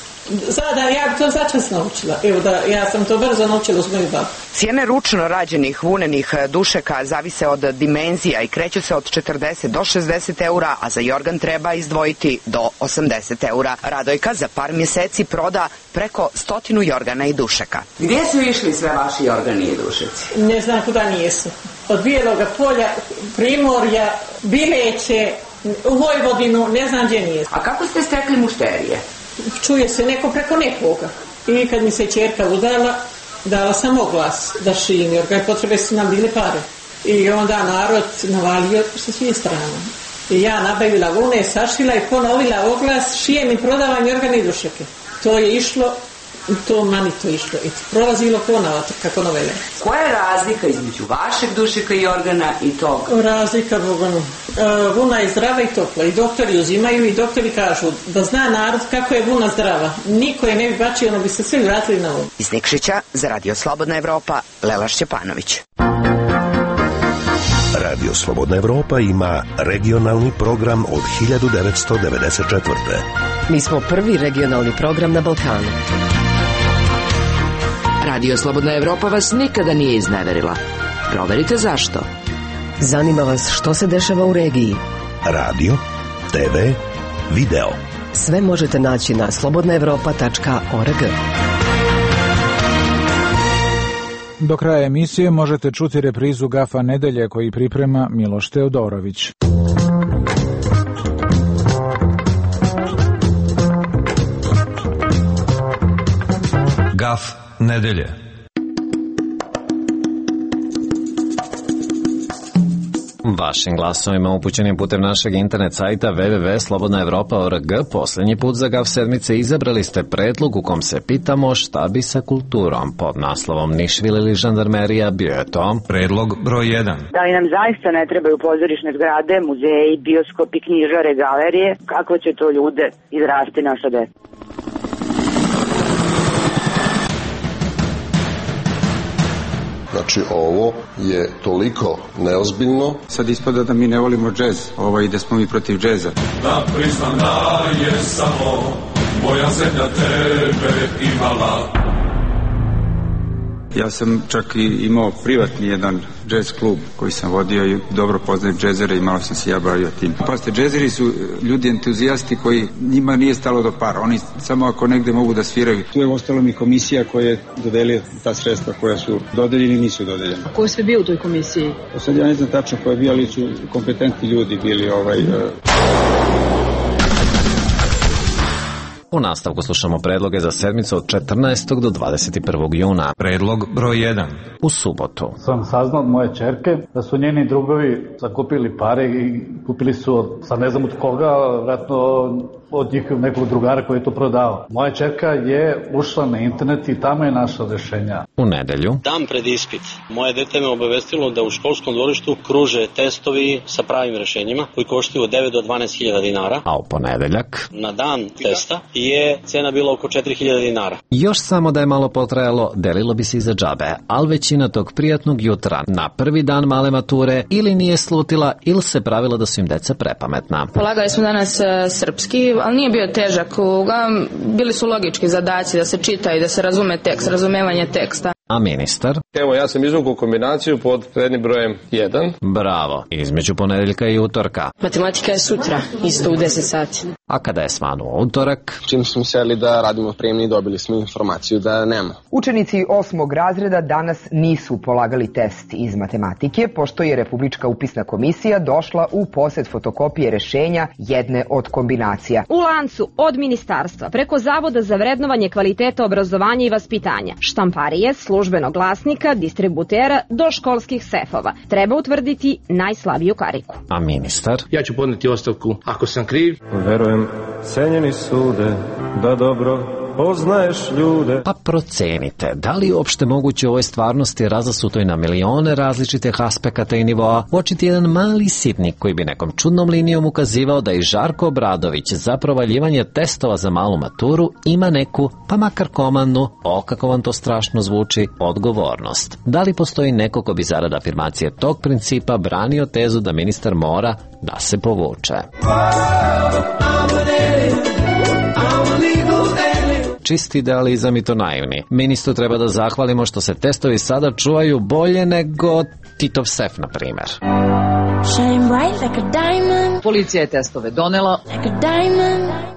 [SPEAKER 16] Sada ja bi to začas naučila. Evo da, ja sam to brzo naučila uz moju babu.
[SPEAKER 9] Cijene ručno rađenih vunenih dušeka zavise od dimenzija i kreću se od četrdeset do šezdeset eura, a za jorgan treba izdvojiti do osamdeset eura. Radojka za par mjeseci proda preko stotinu jorgana i dušeka. Gdje su išli sve vaši jorgani i dušeci?
[SPEAKER 16] Ne znam kuda nijesu. Od Bijeloga polja, Primorja, Bileće, u Vojvodinu, ne znam gdje nije.
[SPEAKER 9] A kako ste stekli mušterije?
[SPEAKER 16] Čuje se neko preko nekoga. I kad mi se ćerka udala, dala sam oglas da šijem, jer kaj potrebe su nam bile pare. I onda narod navalio sa svih strana. I ja nabavila vune, sašila i ponovila oglas, šijem i prodavam jorgane i dušeke. To je išlo to mani to išlo. I prolazilo ponava, kako ono vele.
[SPEAKER 9] Koja je razlika između vašeg dušeka i organa i tog?
[SPEAKER 16] Razlika, Boganu. Vuna je zdrava i topla. I doktori uzimaju i doktori kažu da zna narod kako je vuna zdrava. Niko je ne bi bačio, ono bi se svi vratili na vodu.
[SPEAKER 9] Iz Nikšića za Radio Slobodna Evropa, Lela Šćepanović.
[SPEAKER 17] Radio Slobodna Evropa ima regionalni program od hiljadu devetsto devedeset četvrte.
[SPEAKER 4] Mi smo prvi regionalni program na Balkanu.
[SPEAKER 2] Radio Slobodna Evropa vas nikada nije izneverila. Proverite zašto.
[SPEAKER 4] Zanima vas što se dešava u regiji.
[SPEAKER 17] Radio, te ve, video.
[SPEAKER 4] Sve možete naći na slobodna evropa tačka org.
[SPEAKER 1] Do kraja emisije možete čuti reprizu Gafa nedelje koji priprema Miloš Teodorović.
[SPEAKER 5] Gaf nedelje. Vašim glasovima upućenim putem našeg internet sajta w w w tačka slobodna evropa tačka org posljednji put za Gaf sedmice izabrali ste predlog u kom se pitamo šta bi sa kulturom. Pod naslovom Nišvil ili žandarmerija bio je to predlog broj jedan.
[SPEAKER 7] Da li nam zaista ne trebaju pozorišne zgrade, muzeji, bioskopi, knjižare, galerije? Kako će to ljude izrasti naša deca?
[SPEAKER 18] Znači ovo je toliko neozbiljno.
[SPEAKER 23] Sad ispada da mi ne volimo džez, ovo i da smo mi protiv džeza.
[SPEAKER 24] Da priznam da je samo moja zemlja tebe imala.
[SPEAKER 23] Ja sam čak i imao privatni jedan džez klub koji sam vodio i dobro poznajem džezere i malo sam se ja bavio tim. Pazite, džezeri su ljudi entuzijasti koji njima nije stalo do para. Oni samo ako negde mogu da sviraju. Tu je ostalo mi komisija koja je dodelila ta sredstva koja su dodeljeni i nisu dodeljeni.
[SPEAKER 25] Ko je sve bio u toj komisiji?
[SPEAKER 23] O sad ja ne znam tačno koja je bio, ali su kompetentni ljudi bili ovaj... Uh...
[SPEAKER 5] U nastavku slušamo predloge za sedmicu od četrnaestog do dvadeset prvog juna. Predlog broj jedan. U subotu
[SPEAKER 27] sam saznao od moje ćerke da su njeni drugovi zakupili pare i kupili su od, sad ne znam od koga, vratno od njih nekog drugara koji je to prodao. Moja ćerka je ušla na internet i tamo je našla rešenja.
[SPEAKER 5] U nedelju.
[SPEAKER 28] Dan pred ispit. Moje dete me obavestilo da u školskom dvorištu kruže testovi sa pravim rešenjima koji koštaju od devet do dvanaest hiljada dinara.
[SPEAKER 5] A u ponedeljak.
[SPEAKER 28] Na dan testa je cena bila oko četiri hiljade dinara.
[SPEAKER 5] Još samo da je malo potrajalo, delilo bi se i za džabe, ali većina tog prijatnog jutra na prvi dan male mature ili nije slutila ili se pravila da su im deca prepametna.
[SPEAKER 11] Polagali smo danas uh, srpski, ali nije bio težak. Uglavnom, bili su logički zadaci da se čita i da se razume tekst, razumevanje teksta.
[SPEAKER 5] A ministar?
[SPEAKER 29] Evo, ja sam izvukao kombinaciju pod rednim brojem jedan.
[SPEAKER 5] Bravo, između ponedeljka i utorka.
[SPEAKER 25] Matematika je sutra, isto u deset sati.
[SPEAKER 5] A kada je svanuo utorak?
[SPEAKER 29] Čim smo seli da radimo prijemni, dobili smo informaciju da nema.
[SPEAKER 30] Učenici osmog razreda danas nisu polagali test iz matematike, pošto je Republička upisna komisija došla u posed fotokopije rešenja jedne od kombinacija.
[SPEAKER 31] U lancu od ministarstva preko Zavoda za vrednovanje kvaliteta obrazovanja i vaspitanja, štamparije, službenog glasnika, distributera do školskih sefova treba utvrditi najslabiju kariku.
[SPEAKER 5] A ministar?
[SPEAKER 29] Ja ću podneti ostavku ako sam kriv.
[SPEAKER 32] Verujem, cenjeni sude, da dobro poznaješ ljude.
[SPEAKER 5] Pa procenite, da li je uopšte moguće u ovoj stvarnosti razasutoj na milione različitih aspekata i nivoa uočiti jedan mali sitnik koji bi nekom čudnom linijom ukazivao da i Žarko Obradović za provaljivanje testova za malu maturu ima neku, pa makar komandnu, o kako vam to strašno zvuči, odgovornost. Da li postoji neko ko bi zarad afirmacije tog principa branio tezu da ministar mora da se povuče? Čisti idealizam i to naivni. Ministru treba da zahvalimo što se testovi sada čuvaju bolje nego Titov sef, na primjer.
[SPEAKER 25] Policija je testove donela.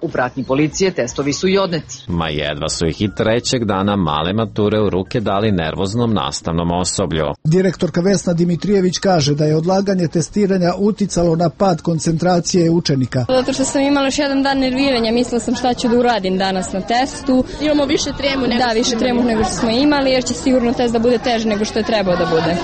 [SPEAKER 25] U pratnji policije testovi su i odneti.
[SPEAKER 5] Ma jedva su ih i trećeg dana male mature u ruke dali nervoznom nastavnom osoblju.
[SPEAKER 33] Direktorka Vesna Dimitrijević kaže da je odlaganje testiranja uticalo na pad koncentracije učenika.
[SPEAKER 25] Zato što sam imala još jedan dan nerviranja, mislila sam šta ću da uradim danas na testu.
[SPEAKER 15] Imamo više tremu nego
[SPEAKER 25] Da, više tremu nego što smo imali, jer će sigurno test da bude teži nego što je trebao da bude.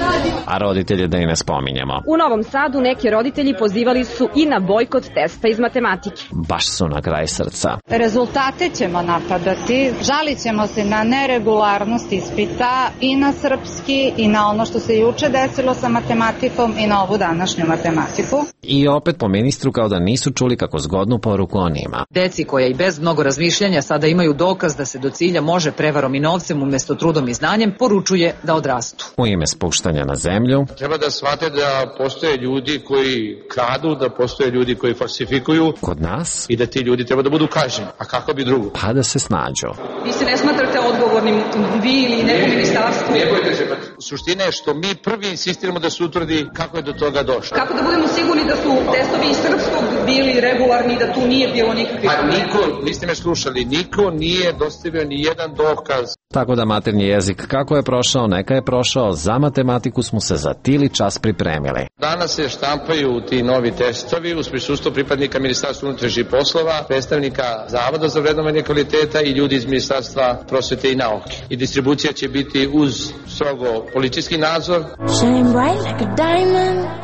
[SPEAKER 5] A roditelje da i ne spominjemo.
[SPEAKER 31] U Novom Sadu Gradu neki roditelji pozivali su i na bojkot testa iz matematike.
[SPEAKER 5] Baš su na kraj srca.
[SPEAKER 3] Rezultate ćemo napadati, žalit ćemo se na neregularnost ispita i na srpski i na ono što se juče desilo sa matematikom i na ovu današnju matematiku.
[SPEAKER 5] I opet po ministru kao da nisu čuli kako zgodnu poruku on ima.
[SPEAKER 25] Deci koja i bez mnogo razmišljanja sada imaju dokaz da se do cilja može prevarom i novcem umjesto trudom i znanjem, poručuje da odrastu.
[SPEAKER 5] U ime spuštanja na zemlju.
[SPEAKER 6] Treba da shvate da postoje ljudi koji kradu, da postoje ljudi koji falsifikuju.
[SPEAKER 5] Kod nas.
[SPEAKER 6] I da ti ljudi treba da budu kažnjeni. A kako bi drugo?
[SPEAKER 5] Pa da se snađu.
[SPEAKER 25] Vi se ne smatrate odgovornim, vi ili neko ministarstvo?
[SPEAKER 6] Ne bojte se, pa suština je što mi prvi insistiramo da se utvrdi kako je do toga došlo.
[SPEAKER 25] Kako da budemo sigurni da su testovi iz srpskog bili regularni i da tu nije bilo nikakvih
[SPEAKER 6] problema? Pa niko, niste me slušali, niko nije dostavio ni jedan dokaz.
[SPEAKER 5] Tako da maternji jezik kako je prošao, neka je prošao, za matematiku smo se za tili čas pripremili.
[SPEAKER 6] Danas se štampaju ti novi testovi uz prisustvo pripadnika Ministarstva unutrašnjih poslova, predstavnika Zavoda za vrednovanje kvaliteta i ljudi iz Ministarstva prosvete i nauke. I distribucija će biti uz strogo policijski nadzor.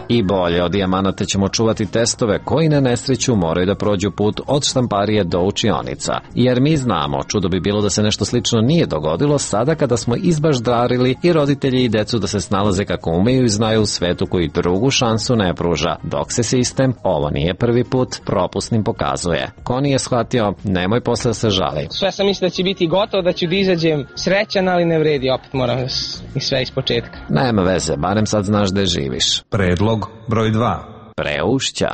[SPEAKER 5] I bolje od dijamanata ćemo čuvati testove koji na nesreću moraju da prođu put od štamparije do učionica. Jer mi znamo, čudo bi bilo da se nešto slično nije dogodilo sada kada smo izbaždarili i roditelji i decu da se snalaze kako umeju i znaju u svetu koji drugu šansu ne pruža, dok se sistem, ovo nije prvi put, propusnim pokazuje. Ko nije shvatio, nemoj posle da se žali.
[SPEAKER 8] Sve sam mislio da će biti gotovo, da ću da izađem srećan, ali ne vredi, opet moram i sve iz početka.
[SPEAKER 5] Nema veze, barem sad znaš da živiš.
[SPEAKER 10] Predlog broj dva.
[SPEAKER 5] Preušća.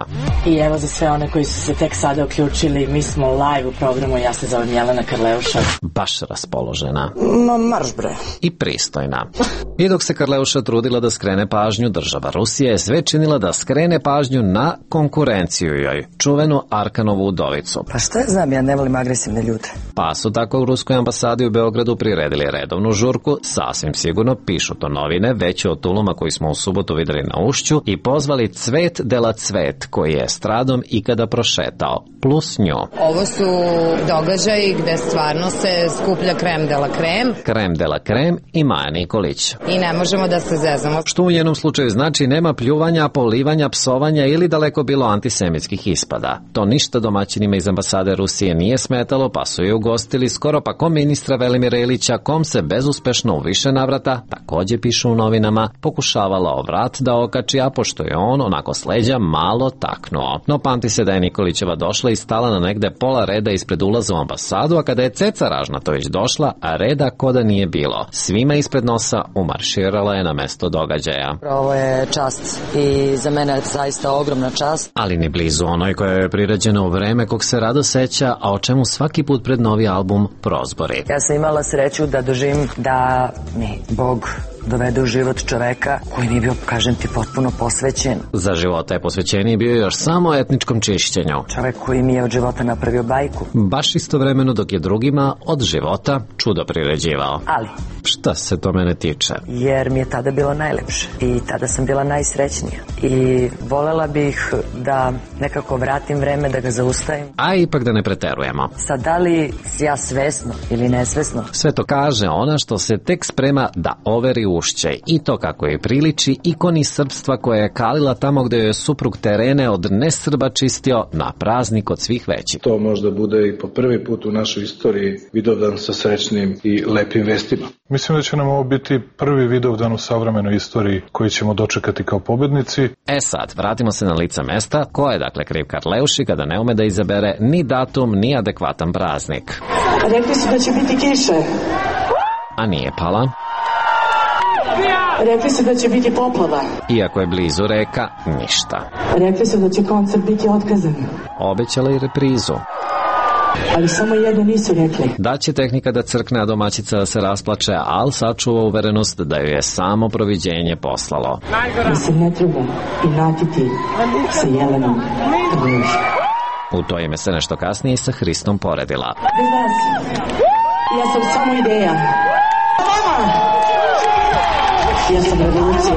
[SPEAKER 12] I evo za sve one koji su se tek sada uključili, mi smo live u programu, ja se zovem Jelena Karleuša.
[SPEAKER 5] Baš raspoložena.
[SPEAKER 12] Ma marš bre.
[SPEAKER 5] I pristojna. I dok se Karleuša trudila da skrene pažnju, država Rusija je sve činila da skrene pažnju na konkurenciju joj, čuvenu Arkanovu udovicu.
[SPEAKER 12] Pa šta ja znam, ja ne volim agresivne ljude.
[SPEAKER 5] Pa su tako u Ruskoj ambasadi u Beogradu priredili redovnu žurku, sasvim sigurno, pišu to novine, veće od tuluma koji smo u subotu videli na Ušću, i pozvali Cvet dela Cvet, koji je stradom ikada prošetao, plus nju.
[SPEAKER 13] Ovo su događaji gde stvarno se skuplja krem dela krem.
[SPEAKER 5] Krem dela krem i Maja Nikolić.
[SPEAKER 13] I ne možemo da se zezamo.
[SPEAKER 5] Što u njenom slučaju znači nema pljuvanja, polivanja, psovanja ili daleko bilo antisemitskih ispada. To ništa domaćinima iz ambasade Rusije nije smetalo, pa su je ugostili skoro pa ko ministra Velimira Ilića, kom se bezuspešno u više navrata, takođe pišu u novinama, pokušavala o vrat da okači, a pošto je on onako sleđa malo taknuo. No pamti se da je Nikolićeva došla i stala na negde pola reda ispred ulaza u ambasadu, a kada je Ceca Ražnatović došla, a reda koda nije bilo. Svima ispred nosa umarširala je na mesto događaja.
[SPEAKER 12] Ovo je čast i za mene je zaista ogromna čast.
[SPEAKER 5] Ali ni blizu onoj koja je priređena u vreme kog se rado seća, a o čemu svaki put pred novi album prozbori.
[SPEAKER 12] Ja sam imala sreću da doživim da mi Bog dovede u život čoveka koji mi bio, kažem ti, potpuno posvećen.
[SPEAKER 5] Za života je posvećeniji bio još samo etničkom čišćenju.
[SPEAKER 12] Čovek koji mi je od života napravio bajku.
[SPEAKER 5] Baš istovremeno dok je drugima od života čudo priređivao.
[SPEAKER 12] Ali
[SPEAKER 5] šta se to mene tiče?
[SPEAKER 12] Jer mi je tada bilo najlepše i tada sam bila najsrećnija. I volela bih da nekako vratim vreme, da ga zaustavim.
[SPEAKER 5] A ipak da ne preterujemo.
[SPEAKER 12] Sad, da li ja svesno ili nesvesno?
[SPEAKER 5] Sve to kaže ona što se tek sprema da overi Ušće, i to kako je priliči ikoni srpstva koja je kalila tamo gde je suprug terene od nesrba čistio na praznik od svih većih.
[SPEAKER 27] To možda bude i po prvi put u našoj istoriji Vidovdan sa srećnim i lepim vestima.
[SPEAKER 14] Mislim da će nam ovo biti prvi Vidovdan u savremenoj istoriji koji ćemo dočekati kao pobednici.
[SPEAKER 5] E sad, vratimo se na lica mesta. Ko je dakle kriv Karleuši kada ne ume da izabere ni datum, ni adekvatan praznik?
[SPEAKER 12] Rekli su da će biti kiše.
[SPEAKER 5] A nije pala.
[SPEAKER 12] Rekli su da će biti poplava.
[SPEAKER 5] Iako je blizu reka, ništa.
[SPEAKER 12] Rekli su da će koncert biti otkazan.
[SPEAKER 5] Obećala i reprizu.
[SPEAKER 12] Ali samo jedno nisu rekli.
[SPEAKER 5] Da će tehnika da crkne, a domaćica da se rasplače, ali sačuva uverenost da ju je samo proviđenje poslalo.
[SPEAKER 12] Da se ne treba inatiti sa Jelenom.
[SPEAKER 5] U to ime se nešto kasnije sa Hristom poredila.
[SPEAKER 12] Bez vas, ja sam samo ideja. Ja sam revolucija.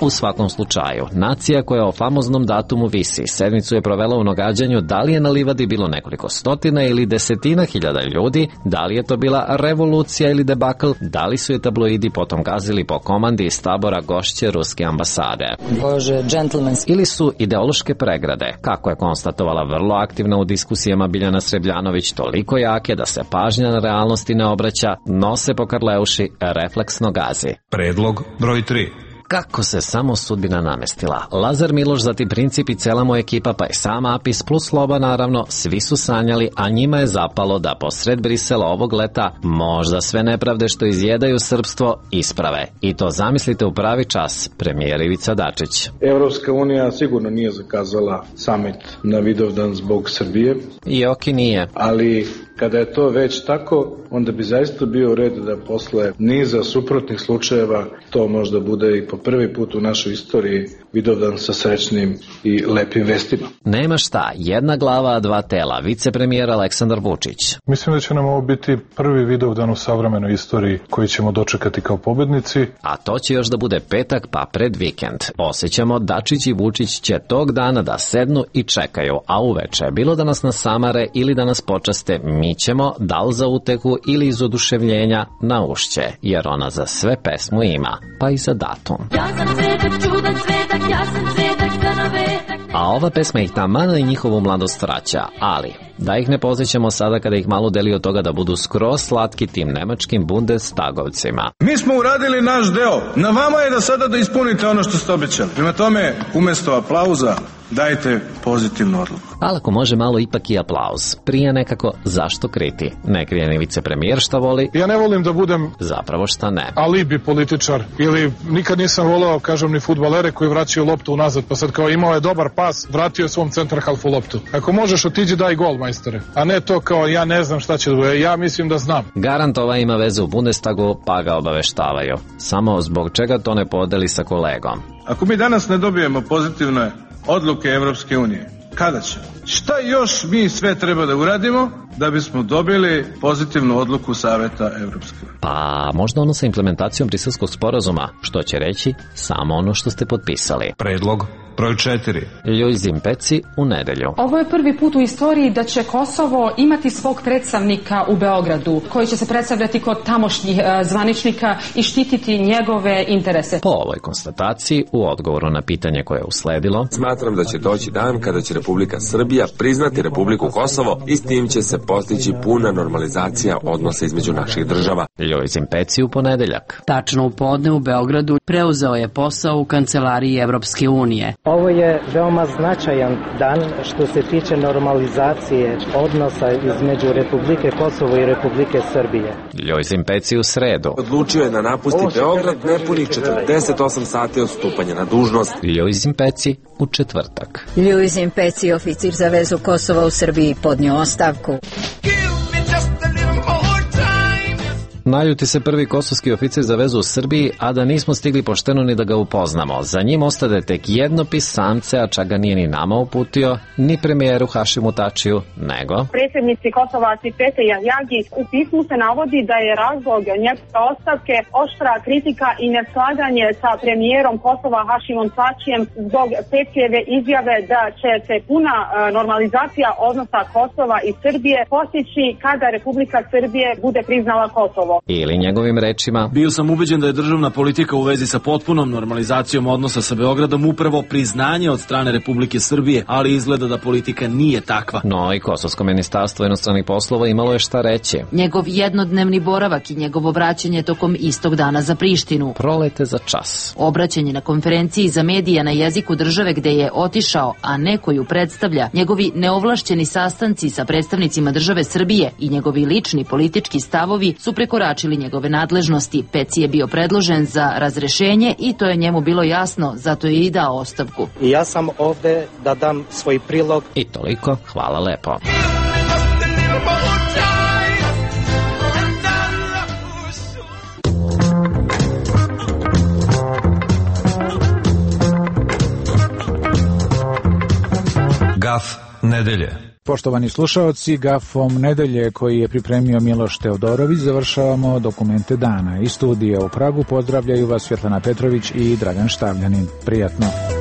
[SPEAKER 5] U svakom slučaju, nacija koja o famoznom datumu visi, sedmicu je provela u nagađanju da li je na livadi bilo nekoliko stotina ili desetina hiljada ljudi, da li je to bila revolucija ili debakl, da li su je tabloidi potom gazili po komandi iz tabora gošće ruske ambasade.
[SPEAKER 12] Bože, džentlmenski.
[SPEAKER 5] Ili su ideološke pregrade, kako je konstatovala vrlo aktivna u diskusijama Biljana Srebljanović, toliko jake da se pažnja na realnosti ne obraća, nose po Karleuši, refleksno gazi.
[SPEAKER 10] Predlog broj tri.
[SPEAKER 5] Kako se samo sudbina namestila. Lazar Miloš, zatim Princip i cela moja ekipa, pa i sam Apis plus Sloba naravno, svi su sanjali, a njima je zapalo da posred Brisela ovog leta možda sve nepravde što izjedaju srpstvo isprave. I to zamislite u pravi čas, premijer Ivica Dačić.
[SPEAKER 1] Evropska unija sigurno nije zakazala samit na Vidovdan zbog Srbije.
[SPEAKER 5] I oki nije.
[SPEAKER 1] Ali kada je to već tako, onda bi zaista bio red da posle niza suprotnih slučajeva to možda bude i po prvi put u našoj istoriji Vidovdan sa srećnim i lepim vestima.
[SPEAKER 5] Nema šta, jedna glava, a dva tela, vicepremijer Aleksandar Vučić.
[SPEAKER 14] Mislim da će nam ovo biti prvi Vidovdan u savremenoj istoriji koji ćemo dočekati kao pobednici.
[SPEAKER 5] A to će još da bude petak, pa pred vikend. Osjećamo, Dačić i Vučić će tog dana da sednu i čekaju, a uveče, bilo da nas nasamare ili da nas počaste, mi ćemo, da li za utehu ili iz oduševljenja, na ušće, jer ona za sve pesmu ima, pa i za datum.
[SPEAKER 2] Ja sam cvetak, čudan cvetak, ja sam cvetak, stanovetak.
[SPEAKER 5] A ova pesma ih tamana i njihovu mladost vraća, ali da ih ne posjećamo sada kada ih malo deli od toga da budu skroz slatki tim nemačkim Bundestagovcima.
[SPEAKER 4] Mi smo uradili naš deo, na vama je da sada da ispunite ono što ste obećali. Prema tome, umesto aplauza, dajte pozitivnu odluku.
[SPEAKER 5] Ali ako može malo ipak i aplauz. Prije nekako zašto kriti? Ne krije ni vicepremijer šta voli.
[SPEAKER 14] Ja ne volim da budem
[SPEAKER 5] zapravo šta ne.
[SPEAKER 14] alibi političar. Ili nikad nisam voleo, kažem, ni fudbalere koji vraćaju loptu unazad. Pa sad kao imao je dobar pas, vratio je svom centar halfu loptu. Ako možeš otiđi daj gol, majstore. A ne to kao ja ne znam šta će da bude. Ja mislim da znam.
[SPEAKER 5] Garant ova ima vezu u Bundestagu, pa ga obaveštavaju. Samo zbog čega to ne podeli sa kolegom.
[SPEAKER 4] Ako mi danas ne dobijemo pozitivne odluke Evropske unije, kada će? Šta još mi sve treba da uradimo da bismo dobili pozitivnu odluku Saveta Evropske unije?
[SPEAKER 5] Pa možda ono sa implementacijom Briselskog sporazuma, što će reći samo ono što ste potpisali.
[SPEAKER 10] Predlog broj četiri.
[SPEAKER 5] Ljuzim Peci u nedelju.
[SPEAKER 7] Ovo je prvi put u istoriji da će Kosovo imati svog predstavnika u Beogradu, koji će se predstavljati kod tamošnjih e, zvaničnika i štititi njegove interese.
[SPEAKER 5] Po ovoj konstataciji, u odgovoru na pitanje koje je usledilo,
[SPEAKER 9] smatram da će doći dan kada će Republika Srbija priznati Republiku Kosovo i s tim će se postići puna normalizacija odnosa između naših država.
[SPEAKER 5] Ljuzim Peci u ponedeljak.
[SPEAKER 16] Tačno u podne u Beogradu preuzeo je posao u kancelariji Evropske unije.
[SPEAKER 17] Ovo je veoma značajan dan što se tiče normalizacije odnosa između Republike Kosovo i Republike Srbije.
[SPEAKER 5] Ljuzim Peci u sredu.
[SPEAKER 9] Odlučio je da napusti Beograd nepunih četrdeset osam sati od stupanja na dužnost.
[SPEAKER 5] Ljuzim Peci u četvrtak.
[SPEAKER 18] Ljuzim Peci, oficir za vezu Kosova u Srbiji, podnio ostavku.
[SPEAKER 5] Naljuti se prvi kosovski oficir za vezu u Srbiji, a da nismo stigli pošteno ni da ga upoznamo. Za njim ostade tek jedno pisamce, a čak ga nije ni nama uputio, ni premijeru Hašimu Tačiju, nego
[SPEAKER 19] predsjednici Kosova Cipete Jahjagi. U pismu se navodi da je razlog njegove ostavke oštra kritika i neslaganje sa premijerom Kosova Hašimom Tačijem zbog Petijeve izjave da će se puna normalizacija odnosa Kosova i Srbije postići kada Republika Srbije bude priznala Kosovo.
[SPEAKER 5] Ili njegovim rečima:
[SPEAKER 20] bio sam ubeđen da je državna politika u vezi sa potpunom normalizacijom odnosa sa Beogradom upravo priznanje od strane Republike Srbije, ali izgleda da politika nije takva.
[SPEAKER 5] No i Kosovsko ministarstvo inostranih poslova imalo je šta reći.
[SPEAKER 16] Njegov jednodnevni boravak i njegovo vraćanje tokom istog dana za Prištinu.
[SPEAKER 5] Prolete za čas.
[SPEAKER 16] Obraćanje na konferenciji za medije na jeziku države gde je otišao, a ne koju predstavlja, njegovi neovlašćeni sastanci sa predstavnicima države Srbije i njegovi lični politički stavovi su prekoračili njegove nadležnosti. Peci je bio predložen za razrešenje i to je njemu bilo jasno, zato je i dao ostavku.
[SPEAKER 17] I ja sam ovde da dam svoj prilog.
[SPEAKER 5] I toliko, hvala lepo.
[SPEAKER 10] Gaf nedelje.
[SPEAKER 11] Poštovani slušaoci, gafom nedelje koji je pripremio Miloš Teodorović završavamo dokumente dana. Iz studija u Pragu pozdravljaju vas Svjetlana Petrović i Dragan Štavljanin. Prijatno.